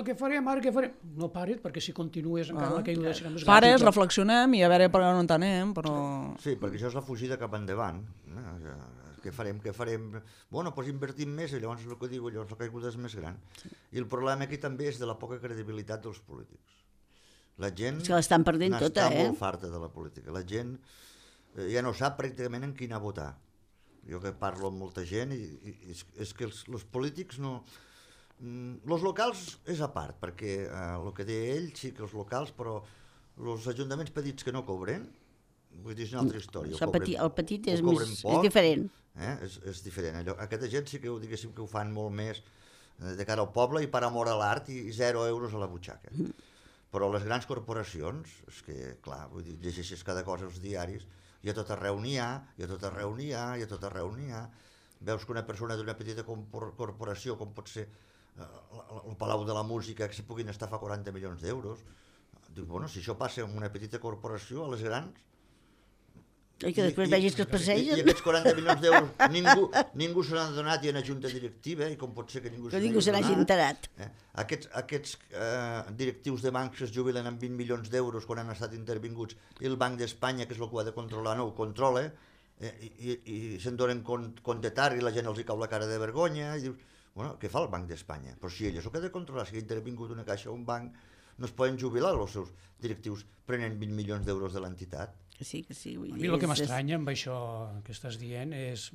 Què farem ara, què farem? No pares, perquè si continues encara la caiguda serà més gran. Pares, reflexionem i a veure per on entenem, però... Sí, perquè això és la fugida cap endavant. Què farem? Bueno, doncs invertim més i llavors el que diu, llavors la caiguda és més gran. I el problema aquí també és de la poca credibilitat dels polítics. La gent l'estan perdent tota, molt farta de la política. La gent ja no sap pràcticament en quina votar. Jo que parlo amb molta gent i és que els polítics no... Els locals és a part, perquè el que deia ell, sí que els locals, però els ajuntaments petits que no cobren, vull dir, és una altra història. El petit és diferent. És diferent. Aquesta gent sí que diguéssim que ho fan molt més de cara al poble i per amor a l'art i 0 euros a la butxaca. Però les grans corporacions, és que, clar, vull dir, llegeixes cada cosa als diaris, i a tot arreu n'hi ha, veus que una persona d'una petita corporació, com pot ser el Palau de la Música, que se puguin estafar 40 milions d'euros, dius, bueno, si això passa en una petita corporació, a les grans... I que després vegis que es passegen. I aquests 40 milions d'euros ningú se n'ha donat i en la junta directiva, i com pot ser que ningú se n'hagi enterat. Aquests directius de bancs es jubilen amb 20 milions d'euros quan han estat intervinguts i el Banc d'Espanya, que és el que ho ha de controlar, no ho controla, i se'n donen compte tard i la gent els hi cau la cara de vergonya, i dius, bueno, què fa el Banc d'Espanya? Però si ell és el que ha de controlar, si ha intervingut una caixa o un banc, no es poden jubilar els seus directius prenent 20 milions d'euros de l'entitat. Que sí. A mi el que m'estranya amb això que estàs dient és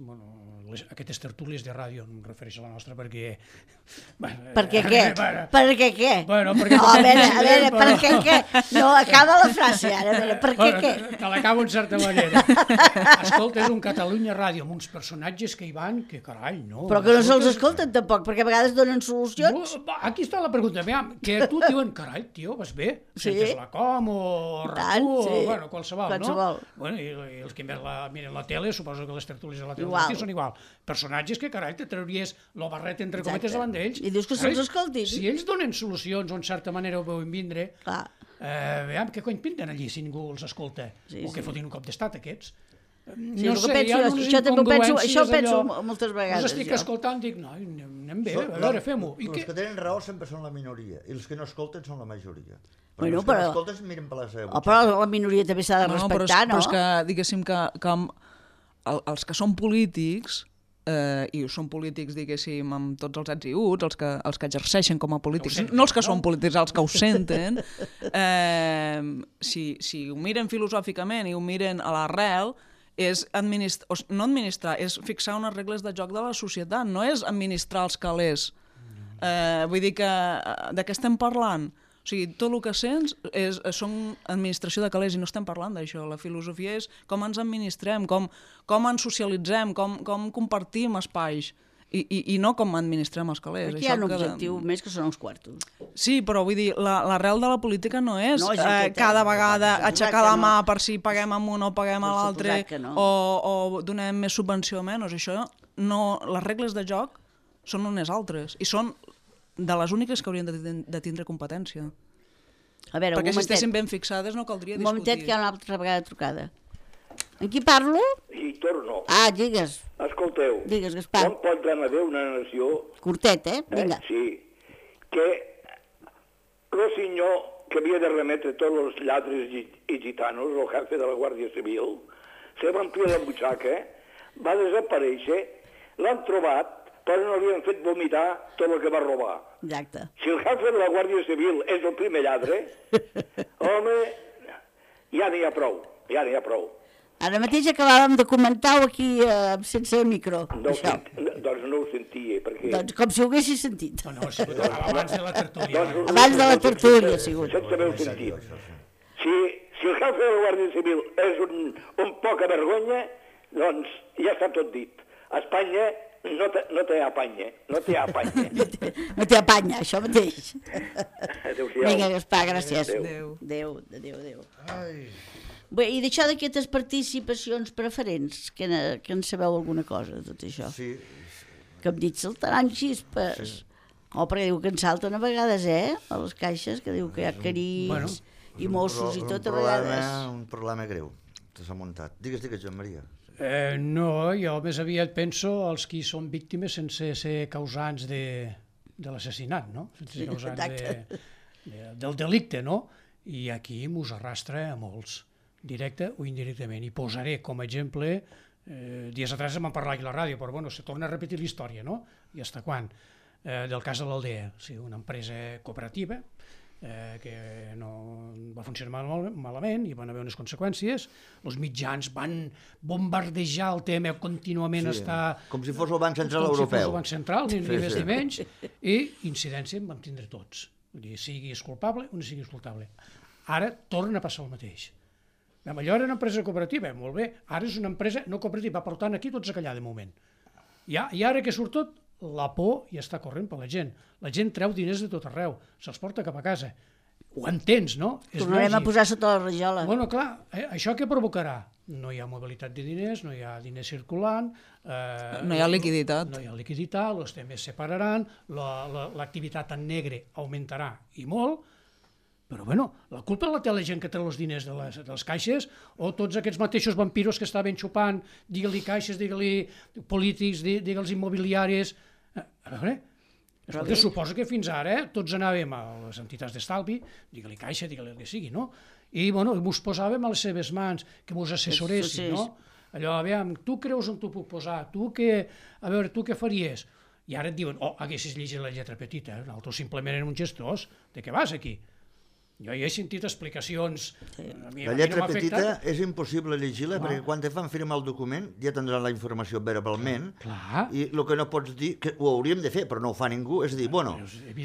aquestes tertúlies de ràdio, no em refereixo a la nostra perquè... Perquè què? Perquè què? Bueno, perquè... A veure, perquè què? No, acaba la frase ara, a veure, perquè què? Te l'acabo en certa manera. Escolta, és un Catalunya Ràdio amb uns personatges que hi van, que carai, no... Però que no se'ls escolten tampoc, perquè a vegades donen solucions. Aquí està la pregunta, que a tu et diuen, carai, tio, vas bé? Sentes la com o RAC1 o, bueno, qualsevol, no? Bueno, i els que miren la tele, suposo que les tertúlies de la tele són igual. Personatges que, carai, te trauries el barret entre cometes davant d'ells. I dius que se'ls escoltin. Si ells donen solucions o en certa manera ho veuen vindre, veiem què cony pinten allí si ningú els escolta. O que fotin un cop d'estat, aquests. No sé, això ho penso moltes vegades. Els estic escoltant, dic, no, anem bé, a veure, fem-ho. Els que tenen raó sempre són la minoria, i els que no escolten són la majoria. Però els que no escolten miren per la seva butxaca. Però la minoria també s'ha de respectar, no? Però és que, diguéssim, que els que són polítics, i són polítics, diguéssim, amb tots els ets i uts, els que exerceixen com a polítics, no els que són polítics, els que ho senten, si ho miren filosòficament i ho miren a l'arrel, és no administrar, és fixar unes regles de joc de la societat, no és administrar els calés. Vull dir que de què estem parlant? O sigui, tot el que sents són administració de calés i no estem parlant d'això. La filosofia és com ens administrem, com ens socialitzem, com compartim espais i no com administrem els calés. Aquí hi ha un objectiu més que són els quartos. Sí, però vull dir, l'arrel de la política no és cada vegada aixecar la mà per si paguem amb un o paguem a l'altre o donem més subvenció o menys. Això no, les regles de joc són unes altres i són de les úniques que haurien de tindre competència. Perquè si estessin ben fixades no caldria discutir. Un momentet que hi ha una altra vegada trucada. En qui parlo? I torno. Digues. Escolteu. Digues, Gaspar. Com pot haver una nació... Curtet, vinga. Sí. Que el senyor que havia de remetre tots els lladres i gitanos, el jefe de la Guàrdia Civil, se va ampliar la butxaca, va desaparèixer, l'han trobat, però no li han fet vomitar tot el que va robar. Exacte. Si el jefe de la Guàrdia Civil és el primer lladre, home, ja n'hi ha prou, ja n'hi ha prou. Ara mateix acabàvem de comentar-ho aquí sense micro. Doncs no ho sentia, perquè... Doncs com si ho haguessis sentit. No, abans de la tertúlia. Abans de la tertúlia, ha sigut. Sense haver-ho sentit. Si el jefe de la Guàrdia Civil és un poca vergonya, doncs ja està tot dit. Espanya no té apanya, no té apanya. No té apanya, això mateix. Adéu-siau. Vinga, Gaspar, gràcies. Adéu. Adéu. Bé, i d'això d'aquestes participacions preferents, que en sabeu alguna cosa de tot això? Sí. Que em dit saltaran xispes. Perquè diu que en salten a vegades, a les caixes, que diu que hi ha carits i Mossos i tot a vegades. Un problema greu, que s'ha muntat. Digues, Joan Maria. No, jo més aviat penso als qui són víctimes sense ser causants de l'assassinat, no? Sense ser causants del delicte, no? I aquí mos arrastra a molts, directe o indirectament. I posaré com a exemple, dies atrás em van parlar aquí a la ràdio, però bueno, se torna a repetir la història, no? I fins quan? Del cas de l'Aldea, una empresa cooperativa, que no va funcionar malament i van haver unes conseqüències. Els mitjans van bombardejar el tema contínuament. Com si fos el Banc Central Europeu. Com si fos el Banc Central, ni més ni menys, i incidència en vam tindre tots. Vull dir, siguis culpable o no siguis culpable. Ara torna a passar el mateix. Allò era una empresa cooperativa, molt bé, ara és una empresa no cooperativa, per tant aquí tots a callar de moment. I ara que surt tot, la por ja està corrent per la gent. La gent treu diners de tot arreu, se'ls porta cap a casa. Ho entens, no? Tornarem a posar sota la rajola. Bueno, clar, això què provocarà? No hi ha mobilitat de diners, no hi ha diners circulant... No hi ha liquiditat. No hi ha liquiditat, els temes se pararan, l'activitat en negre augmentarà i molt, però bueno, la culpa la té la gent que té els diners de les caixes o tots aquests mateixos vampiros que estaven xupant, digue-li caixes, digue-li polítics, digue-els immobiliaris... A veure, escolta, suposo que fins ara tots anàvem a les entitats d'estalvi, digue-li caixa, digue-li el que sigui, no? I bueno, mos posàvem a les seves mans, que mos assessoressin, no? Allò, aviam, tu creus on t'ho puc posar? A veure, tu què faries? I ara et diuen, haguessis llegit la lletra petita, nosaltres simplement eren uns gestors, de què vas aquí? Jo ja he sentit explicacions... La lletra petita és impossible llegir-la perquè quan te fan firmar el document ja tindran la informació verbalment i el que no pots dir, que ho hauríem de fer però no ho fa ningú, és a dir, bueno,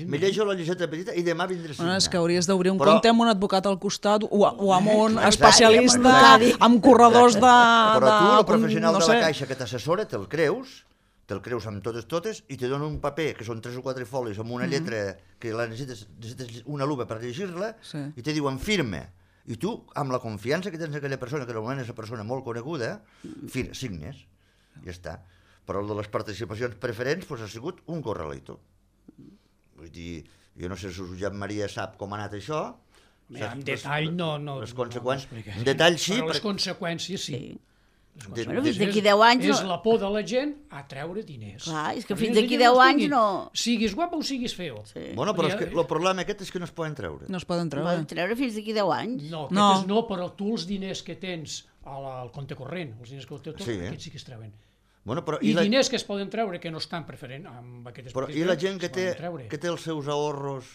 me llejo la lletra petita i demà vindré a signar. És que hauries d'obrir un compte amb un advocat al costat o amb un especialista, amb corredors de... Però tu, el professional de la caixa que t'assessora, te'l creus amb totes, i te dona un paper, que són 3 o 4 folis, amb una lletra que necessites una lupa per llegir-la, i te diuen firma. I tu, amb la confiança que tens en aquella persona, que normalment és una persona molt coneguda, signes, ja està. Però el de les participacions preferents ha sigut un corralito. Vull dir, jo no sé si Josep Maria sap com ha anat això. En detall no. Les conseqüències. En detall sí. Però les conseqüències sí. Bueno, fins d'aquí 10 anys... És la por de la gent a treure diners. Clar, és que fins d'aquí 10 anys no... Siguis guapo o siguis feo. Bueno, però el problema aquest és que no es poden treure. No es poden treure. Poden treure fins d'aquí 10 anys. No, però tu els diners que tens al compte corrent, els diners que tens, aquests sí que es treuen. I diners que es poden treure que no estan preferent amb aquestes... Però i la gent que té els seus ahorros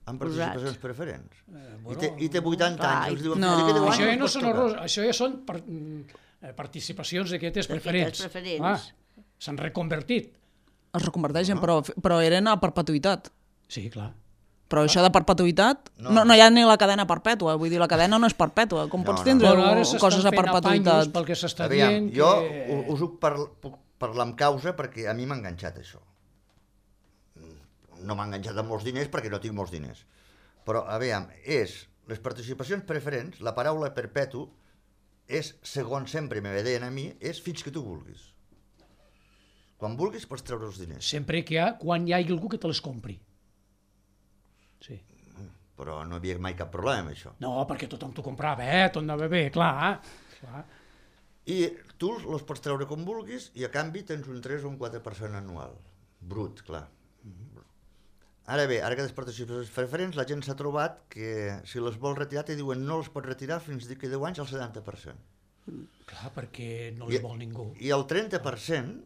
amb participacions preferents. Bueno, I té 80 anys, els diuen... No. "D'aquí 10 anys Això ja us no pot són tocar". errors, això ja són participacions d'aquestes preferents. S'han reconvertit. Es reconverteixen, però eren a perpetuïtat. Sí, clar. Però això de perpetuïtat, no hi ha ni la cadena perpètua, vull dir, la cadena no és perpètua. Com pots tindre coses a perpetuïtat? Pel que s'està Aviam, dient jo que... us puc parlar amb causa perquè a mi m'ha enganxat això. No m'ha enganxat amb molts diners perquè no tinc molts diners. Però, aviam, les participacions preferents, la paraula perpetu, és, segons sempre me deien a mi, és fins que tu vulguis. Quan vulguis pots treure els diners. Sempre quan hi hagi algú que te les compri. Sí. Però no hi havia mai cap problema amb això. No, perquè tothom t'ho comprava, tot anava bé, clar. I tu els pots treure com vulguis i a canvi tens un 3 o un 4% anual. Brut, clar. Ara bé, ara que les participacions preferents, la gent s'ha trobat que si les vol retirar te diuen no les pots retirar fins d'aquí 10 anys al 70%. Clar, perquè no les vol ningú. I el 30%,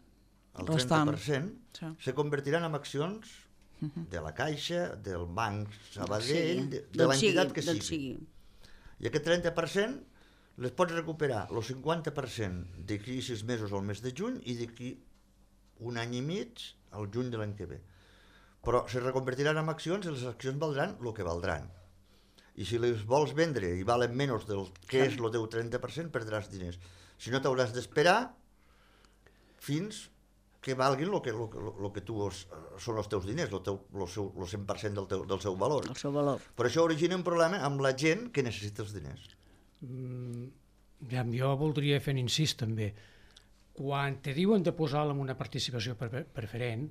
se convertiran en accions de la Caixa, del Banc Sabadell, de l'entitat que sigui. I aquest 30% les pots recuperar el 50% d'aquí 6 mesos al mes de juny i d'aquí un any i mig al juny de l'any que ve. Però se reconvertiran en accions i les accions valdran el que valdran. I si les vols vendre i valen menys del que és el teu 30%, perdràs diners. Si no, t'hauràs d'esperar fins que valguin el que tu són els teus diners, el 100% del seu valor. El seu valor. Però això origina un problema amb la gent que necessita els diners. Jo voldria fer un incís també. Quan te diuen de posar-la en una participació preferent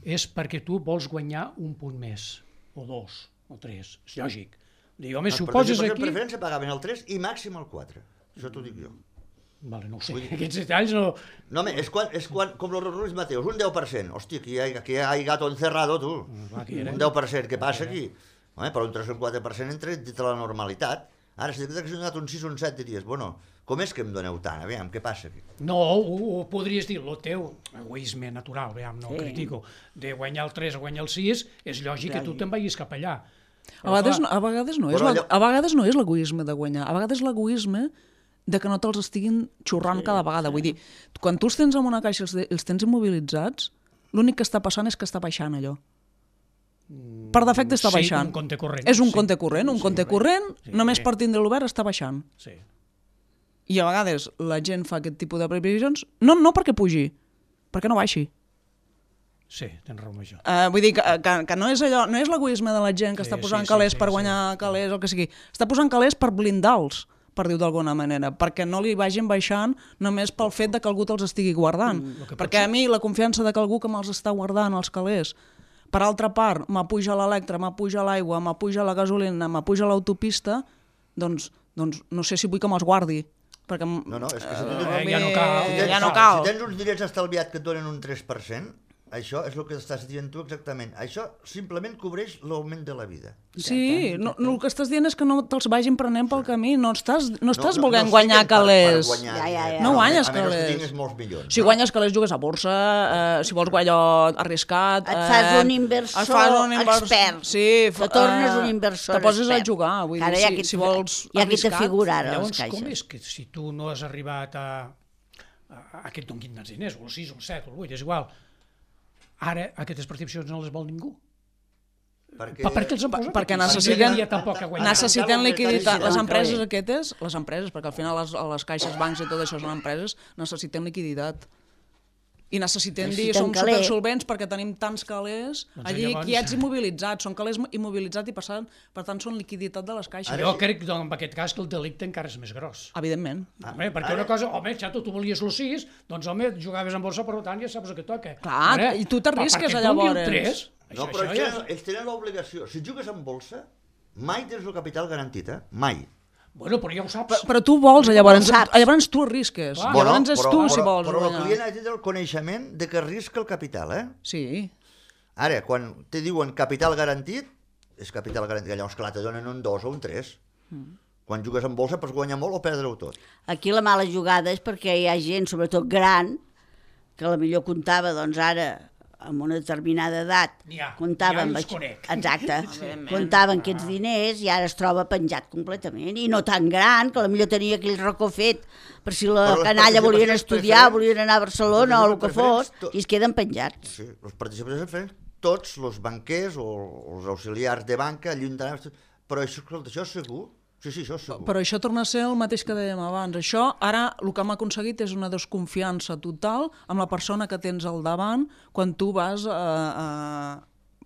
és perquè tu vols guanyar un punt més, o 2, o 3. És lògic. Dic, home, si ho poses aquí... Les preferents se pagaven el 3 i màxim el 4. Això t'ho dic jo. Vale, no ho sé, aquests detalls no... No, home, és quan com los Ruiz Mateos, un 10%. Hòstia, aquí hi ha gato encerrado, tu. Un 10%, què passa aquí? Home, però un 3 o un 4% entre dit a la normalitat. Ara, si t'hagués donat un 6 o un 7, diries, bueno, com és que em doneu tant? Aviam, què passa aquí? No, ho podries dir, el teu egoisme natural, aviam, no ho critico, de guanyar el 3 o guanyar el 6, és lògic que tu te'n vagis cap allà. A vegades no és l'egoisme de guanyar, a vegades l'egoisme de que no te'ls estiguin xurrant cada vegada. Vull dir, quan tu els tens en una caixa i els tens immobilitzats, l'únic que està passant és que està baixant allò. Per defecte està baixant. Sí, un compte corrent. És un compte corrent, només per tindre l'obert està baixant. Sí. I a vegades la gent fa aquest tipus de previsions, no perquè pugi, perquè no baixi. Sí, tens raó amb això. Vull dir que no és allò, no és l'egoisme de la gent que està posant calés per guanyar calés o el que sigui. Està posant calés per blindar-los, per dir-ho d'alguna manera, perquè no li vagin baixant només pel fet de que algú te'ls estigui guardant. Perquè a mi la confiança de que algú que me'ls està guardant els calés, per altra part, m'apuja l'electre, m'apuja l'aigua, m'apuja la gasolina, m'apuja l'autopista, doncs no sé si vull que me'ls guardi. Perquè no, és que ja no cal. Si tens uns diners estalviats que et donen un 3%, això és el que estàs dient tu exactament. Això simplement cobreix l'augment de la vida. Sí, el que estàs dient és que no te'ls vagin prenent pel camí, no estàs volent guanyar calés. No guanyes calés. A menys que tinguis molts milions. Si guanyes calés jugues a borsa, si vols guanyar arriscat... Et fas un inversor expert. Sí, te tornes un inversor expert. Te poses a jugar, vull dir, si vols arriscat... Hi ha qui te figura ara les caixes. Llavors, com és que si tu no has arribat a aquest donguin dels diners, o el 6, o el 7, o el 8, és igual... Ara aquestes participacions no les vol ningú. Per què els han posat? Perquè necessiten liquiditat. Les empreses, perquè al final les caixes, bancs i tot això són empreses, necessiten liquiditat. I necessitem dir, som supersolvents perquè tenim tants calés allí quiets immobilitzats, són calés immobilitzats i per tant són liquiditat de les caixes. Jo crec que en aquest cas que el delicte encara és més gros. Evidentment. Perquè una cosa, xato, tu volies el 6, doncs jugaves en borsa, per tant ja saps el que toca. Clar, i tu t'arrisques llavors. No, però ells tenen l'obligació. Si jugues en bolsa, mai tens el capital garantit, mai. Bueno, però ja ho saps. Però tu vols, llavors tu arrisques. Llavors és tu si vols. Però el client ha de tenir el coneixement de que arrisca el capital, Sí. Ara, quan te diuen capital garantit, és capital garantit, llavors clar, te donen un 2 o un 3. Quan jugues en bolsa pots guanyar molt o perdre-ho tot. Aquí la mala jugada és perquè hi ha gent, sobretot gran, que potser comptava, doncs ara, amb una determinada edat N'hi ha, comptava n'hi ha i amb els conec. Exacte, comptava amb aquests diners i ara es troba penjat completament, i no tan gran, que potser tenia aquell racó fet per si la Però les canalla volien participacions estudiar, preferents, volien anar a Barcelona o el que fos, preferents, i es queden penjats. Sí, les participacions preferents, tots els banquers o els auxiliars de banca, ajuntaments, però escolta, això és segur? Sí, això és segur. Però això torna a ser el mateix que dèiem abans. Això, ara, el que hem aconseguit és una desconfiança total amb la persona que tens al davant quan tu vas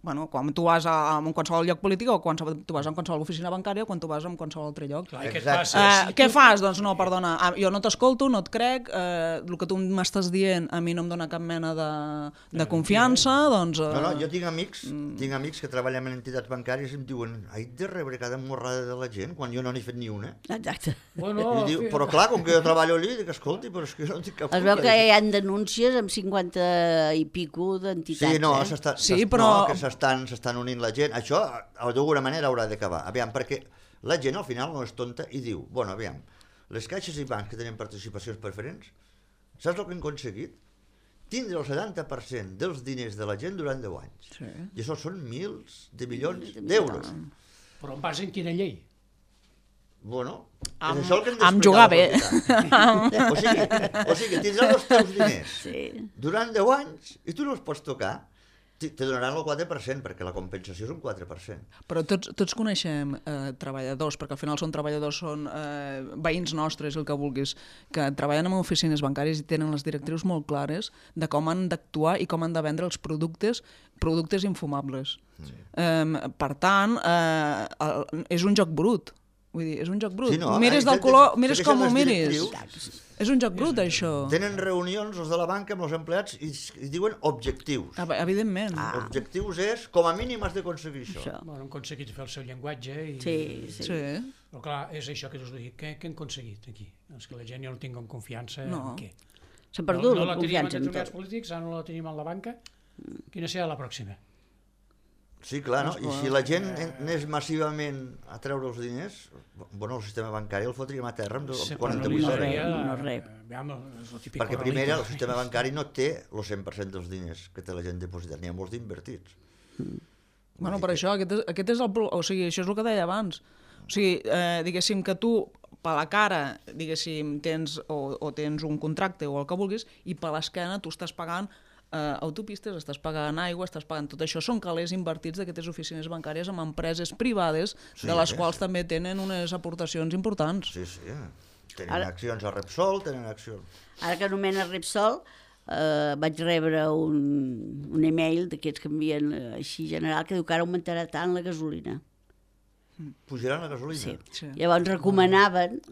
quan tu vas a qualsevol lloc polític o quan tu vas a qualsevol oficina bancària o quan tu vas a qualsevol altre lloc. Clar, Què fas? Doncs no, perdona, jo no t'escolto, no et crec, el que tu m'estàs dient a mi no em dona cap mena de confiança, doncs... No, jo tinc amics que treballen en entitats bancàries i em diuen he de rebre cada morrada de la gent quan jo no n'he fet ni una. Exacte. Bueno, Però clar, com que jo treballo allí, dic, escolti, però és que jo no tinc cap Es veu que hi ha denúncies amb 50 i pico d'entitats. Sí, no, s'estan unint la gent. Això, d'alguna manera, haurà d'acabar. Aviam, perquè la gent al final no és tonta i diu, bueno, aviam, les caixes i bancs que tenen participacions preferents, saps el que han aconseguit? Tindre el 70% dels diners de la gent durant 10 anys. Sí. I això són milions de milions d'euros. però en base en quina llei? Bueno, és això el que hem Amb jugar bé. O sigui, tindràs els teus diners Sí. durant 10 anys i tu no els pots tocar. Te donaran el 4%, perquè la compensació és un 4%. Però tots coneixem treballadors, perquè al final són treballadors, són veïns nostres, el que vulguis, que treballen en oficines bancàries i tenen les directrius molt clares de com han d'actuar i com han de vendre els productes infumables. Sí. Per tant, és un joc brut. Vull dir, és un joc brut. Sí, no, mires del color, mires segueixen com ho les miris. directrius. És un joc brut, això. Tenen reunions els de la banca amb els empleats i diuen objectius. Evidentment. Objectius és, com a mínim has d'aconseguir això. Bueno, han aconseguit fer el seu llenguatge i... Sí. Però clar, és això que us dic. Què han aconseguit aquí? És que la gent ja no tinguin confiança en què? S'ha perdut no la teníem confiança en en determinats tot. polítics, ara no la tenim en la banca. Quina serà la pròxima? Sí, clar, no? I si la gent anés massivament a treure els diners, bueno, el sistema bancari el fotríem a terra amb 48 hores. Perquè primer el sistema bancari no té el 100% dels diners que té la gent dipositat, n'hi ha molts d'invertits. Bueno, per això, aquest és el... O sigui, això és el que deia abans. O sigui, diguéssim que tu, per la cara, diguéssim, tens un contracte o el que vulguis, i per l'esquena tu estàs pagant autopistes, estàs pagant aigua, estàs pagant tot això. Són calés invertits d'aquestes oficines bancàries amb empreses privades, de les quals també tenen unes aportacions importants. Sí. Tenen accions a Repsol, tenen accions... Ara que anomena Repsol, vaig rebre un email d'aquests que envien així general que diu que ara augmentarà tant la gasolina. Pujaran la gasolina? Sí. Llavors recomanaven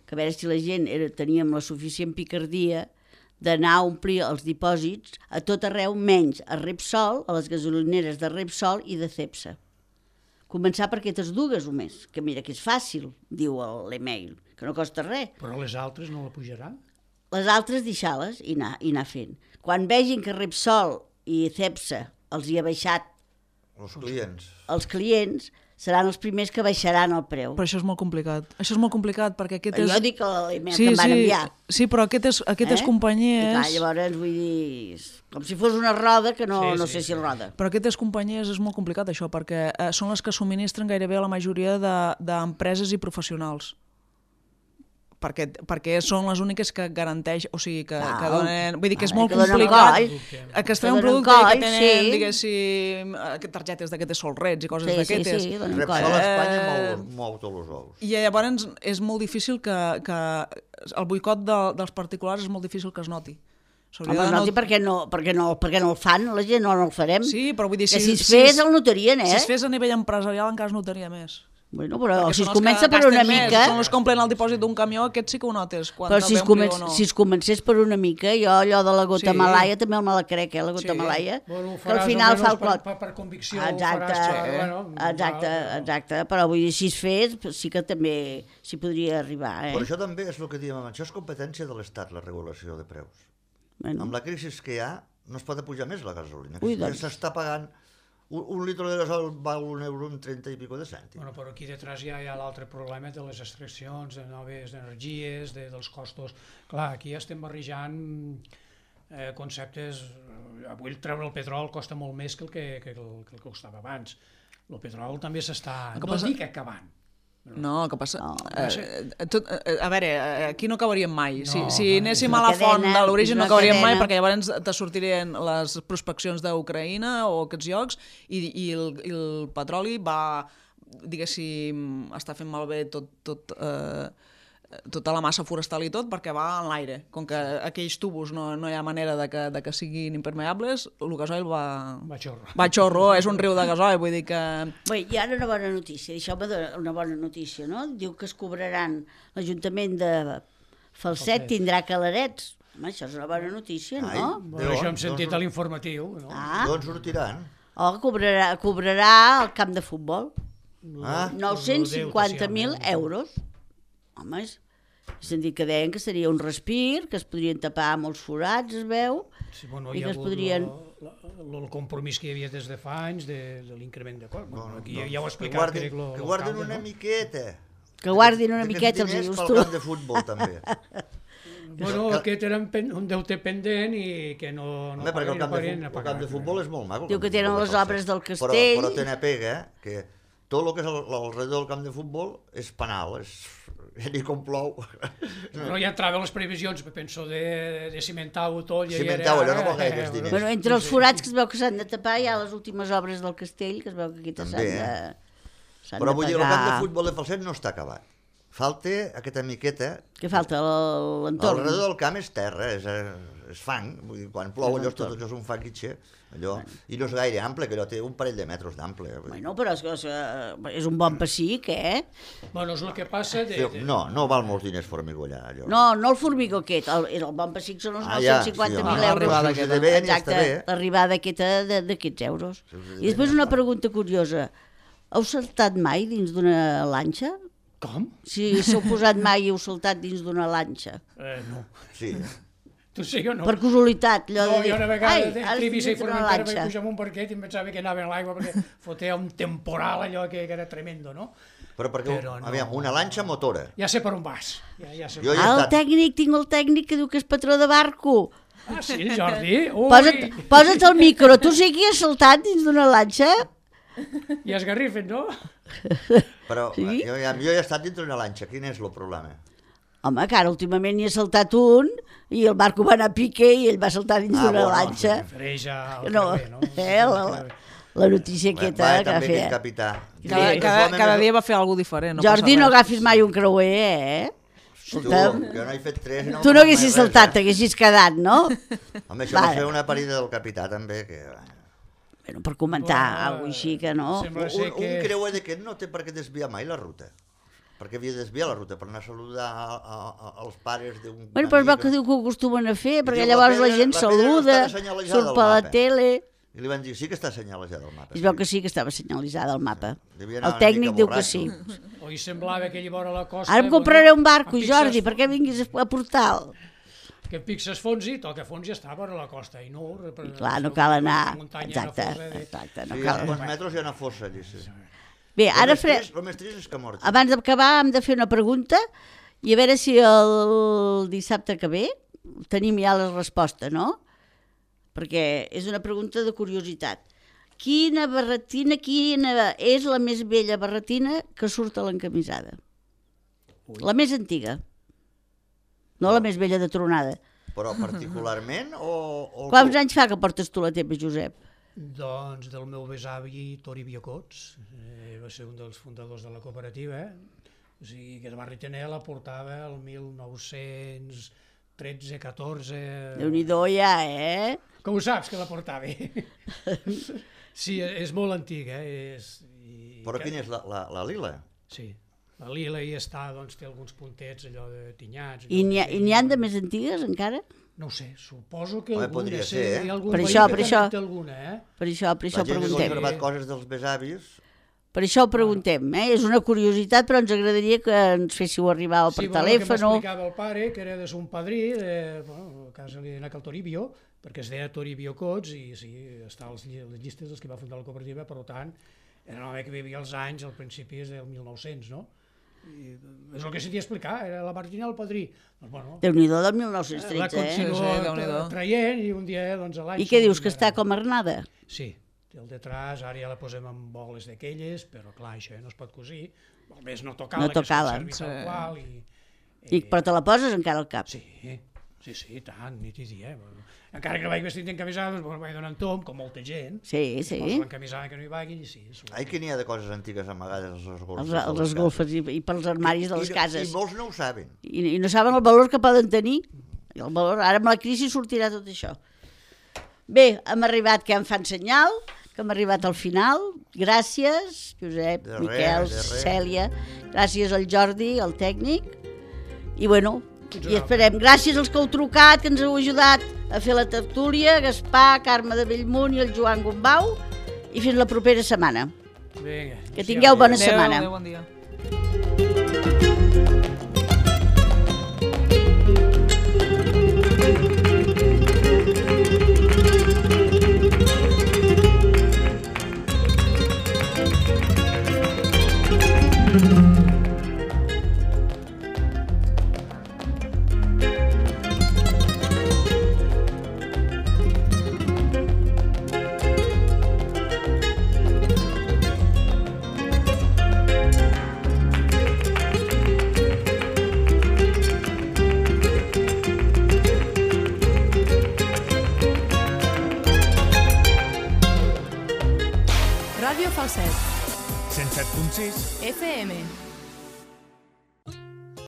que a veure si la gent teníem la suficient picardia d'anar a omplir els dipòsits a tot arreu, menys a Repsol, a les gasolineres de Repsol i de Cepsa. Començar per aquestes dues o més, que mira que és fàcil, diu l'email, que no costa res. Però les altres no la pujaran? Les altres deixar-les i anar fent. Quan vegin que Repsol i Cepsa els hi ha baixat els clients, seran els primers que baixaran el preu. Però això és molt complicat. Això és molt complicat perquè aquest és... Jo dic l'email que em van enviar. Sí, però aquestes companyies... I clar, llavors vull dir... Com si fos una roda que no sé si roda. Però aquestes companyies és molt complicat això, perquè són les que subministren gairebé la majoria d'empreses i professionals. Perquè són les úniques que garanteix, o sigui, que donen... Vull dir que és molt complicat. Que es treu un producte que tenen, diguéssim, targetes d'aquestes solrets i coses d'aquestes. Sí, Repsol a Espanya mou tots els ous. I llavors és molt difícil que el boicot dels particulars és molt difícil que es noti. Home, es noti perquè no el fan, la gent no el farem. Sí, però vull dir... Que si es fes el notarien, Si es fes a nivell empresarial encara es notaria més. Bueno, però si es comença per una mica... Són els que omplen el dipòsit d'un camió, aquest sí que ho notes. Però si es comencés per una mica, jo allò de la gota malaia també me la crec, la gota malaia, que al final fa el clot. Per convicció ho faràs. Exacte, però vull dir, si es fes, sí que també s'hi podria arribar. Però això també és el que diem abans, això és competència de l'Estat, la regulació de preus. Amb la crisi que hi ha, no es pot apujar més la gasolina. S'està pagant... Un litre de gasol val €1,30 i pico de cèntims. Bueno, però aquí detrás ja hi ha l'altre problema de les extraccions, de noves energies, dels costos. Clar, aquí estem barrejant conceptes... Avui treure el petrol costa molt més que el que costava abans. El petrol també s'està... No dic acabant. No, el que passa... No. A veure, aquí no acabaríem mai. No, Si anéssim a la font de l'origen no acabaríem mai, perquè llavors te sortirien les prospeccions d'Ucraïna o aquests llocs i el petroli va, diguéssim, està fent malbé tota la massa forestal i tot perquè va en l'aire. Com que aquells tubos no hi ha manera de que siguin impermeables, el gasoil va xorro, és un riu de gasoil, vull dir que... Bé, i ara una bona notícia, deixeu-me una bona notícia, no? Diu que es cobraran, l'Ajuntament de Falset tindrà calarets. Home, això és una bona notícia, no? Bueno, això hem sentit a l'informatiu. D'on sortiran? Cobrarà el camp de futbol. 950.000 euros. Home, he sentit que deien que seria un respir, que es podrien tapar molts forats, es veu, sí, bueno, i que es podrien... El compromís que hi havia des de fa anys de l'increment de cost. Aquí ja ho he explicat. Que guardin una miqueta. Que guardin una miqueta, els dius tu. Pel camp de futbol, també. Bueno, aquest era un deute pendent i que no perquè el camp de futbol és molt maco. Diu que tenen les obres del castell. Però tenen pega, que tot el que és alrededor del camp de futbol és penal, ni com plou. Però ja entraven les previsions, penso, de cimentar-ho tot. Cimentar-ho, allò no vol gaire diners. Bueno, entre els forats que es veu que s'han de tapar hi ha les últimes obres del castell, que es veu que aquí s'han de pagar. Però vull dir, el camp de futbol de Falset no està acabat. Falta aquesta miqueta... Què falta? L'entorn? Alrededor del camp és terra, és fang. Vull dir, quan plou allò tot això és un fanguitxe. Allò, i no és gaire ample, que allò té un parell de metres d'ample. Bueno, però és un bon pessic, Bueno, és el que passa... No val molts diners formigollar, allò. No el formigó aquest, el bon pessic són els 950.000 euros. Exacte, l'arribada d'aquests euros. I després una pregunta curiosa. Heu saltat mai dins d'una lanxa? Com? Si s'heu posat mai i heu saltat dins d'una lanxa. No. Sí. Tu sí o no? Per casualitat, allò de dir... Jo una vegada a Eivissa i Formentera vaig pujar amb un barquet i em pensava que anava en l'aigua perquè fotia un temporal allò que era tremendo, no? Però perquè, aviam, una lanxa motora. Ja sé per on vas. Tinc el tècnic que diu que és patró de barco. Ah, sí, Jordi? Posa't el micro, tu sí que has saltat dins d'una lanxa? I esgarrifen, no? Però jo he estat dins d'una lanxa, quin és el problema? Home, que ara últimament n'hi ha saltat un i el barco va anar a pique i ell va saltar dins d'una lanxa. La notícia aquesta que va fer. Cada dia va fer alguna cosa diferent. Jordi, no agafis mai un creuer, Tu, jo no he fet 3... Tu no haguessis saltat, t'haguessis quedat, no? Home, això va fer una parida del capità, també, que... Bueno, per comentar alguna cosa així, que no... Un creuer d'aquest no té per què desviar mai la ruta. Perquè havia de desviar la ruta per anar a saludar els pares d'un... Bueno, però és el que diu que ho acostumen a fer, perquè llavors la gent saluda, surt per la tele... I li van dir, sí que està senyalitzada al mapa. Es veu que sí que estava senyalitzada al mapa. El tècnic diu que sí. Oi, semblava que allà vora la costa... Ara em compraré un barco, Jordi, perquè vinguis a Portal. Que el pic s'esfonsi, tot que fons ja està vora la costa. I no... Clar, no cal anar... Exacte, no cal... Sí, a uns metres hi ha una fossa allà, sí. Bé, ara el més trist és que mort. Abans d'acabar hem de fer una pregunta i a veure si el dissabte que ve tenim ja la resposta, no? Perquè és una pregunta de curiositat. Quina és la més vella barretina que surt a l'encamisada? La més antiga. No la més vella de tronada. Però particularment o... Quants anys fa que portes tu la teva, Josep? Doncs del meu besavi Toribio Cots, va ser un dels fundadors de la cooperativa, o sigui que el barritener la portava el 1913-14... Déu-n'hi-do ja, Com ho saps que la portava? Sí, és molt antiga. Però quina és la lila? Sí, la lila hi està, doncs té alguns puntets allò de tinyats. I n'hi ha de més antigues encara? No ho sé, suposo que alguna. Podria ser, Hi ha algun per veí això. que té alguna, Per això preguntem. La gent que ha conservat coses dels besavis... Per això ho preguntem, És una curiositat, però ens agradaria que ens féssiu arribar per telèfon. Sí, que m'explicava el pare, que era de son padrí, a casa li deia el Toribio, perquè es deia Toribio Cots, i sí, està a les llistes dels que va fundar la cooperativa, per tant, era un home que vivia als anys, al principi del 1900, no? És el que sentia explicar, era la Martina el padrí. Doncs, bueno, Déu-n'hi-do del la 1913, continuo traient i un dia doncs, a l'any... I què dius, que està com arnada? Sí, té el detrás, ara ja la posem en boles d'aquelles, però clar, això no es pot cosir, almenys no tocar-la, No tocar-la, que es conservi tal qual. Però te la poses encara al cap? Sí, tant, nit i dia. Encara que no vaig vestit encamisada, doncs vaig donant tom, com molta gent. Sí. Posa l'encamisada que no hi vagui i sí. Ai, que n'hi ha de coses antigues amagades als golfes. Els golfes i pels armaris de les cases. I molts no ho saben. I no saben el valor que poden tenir. I el valor, ara amb la crisi sortirà tot això. Bé, hem arribat, que em fan senyal, que hem arribat al final. Gràcies, Josep, Miquel, Cèlia. Gràcies al Jordi, el tècnic. I bueno, i esperem. Gràcies als que heu trucat, que ens heu ajudat a fer la tertúlia, Gaspar, Carme de Bellmunt i el Joan Gombau. I fins la propera setmana. Vinga. Que tingueu bona setmana. Adéu, bon dia. Ràdio Falset. 107.6 FM.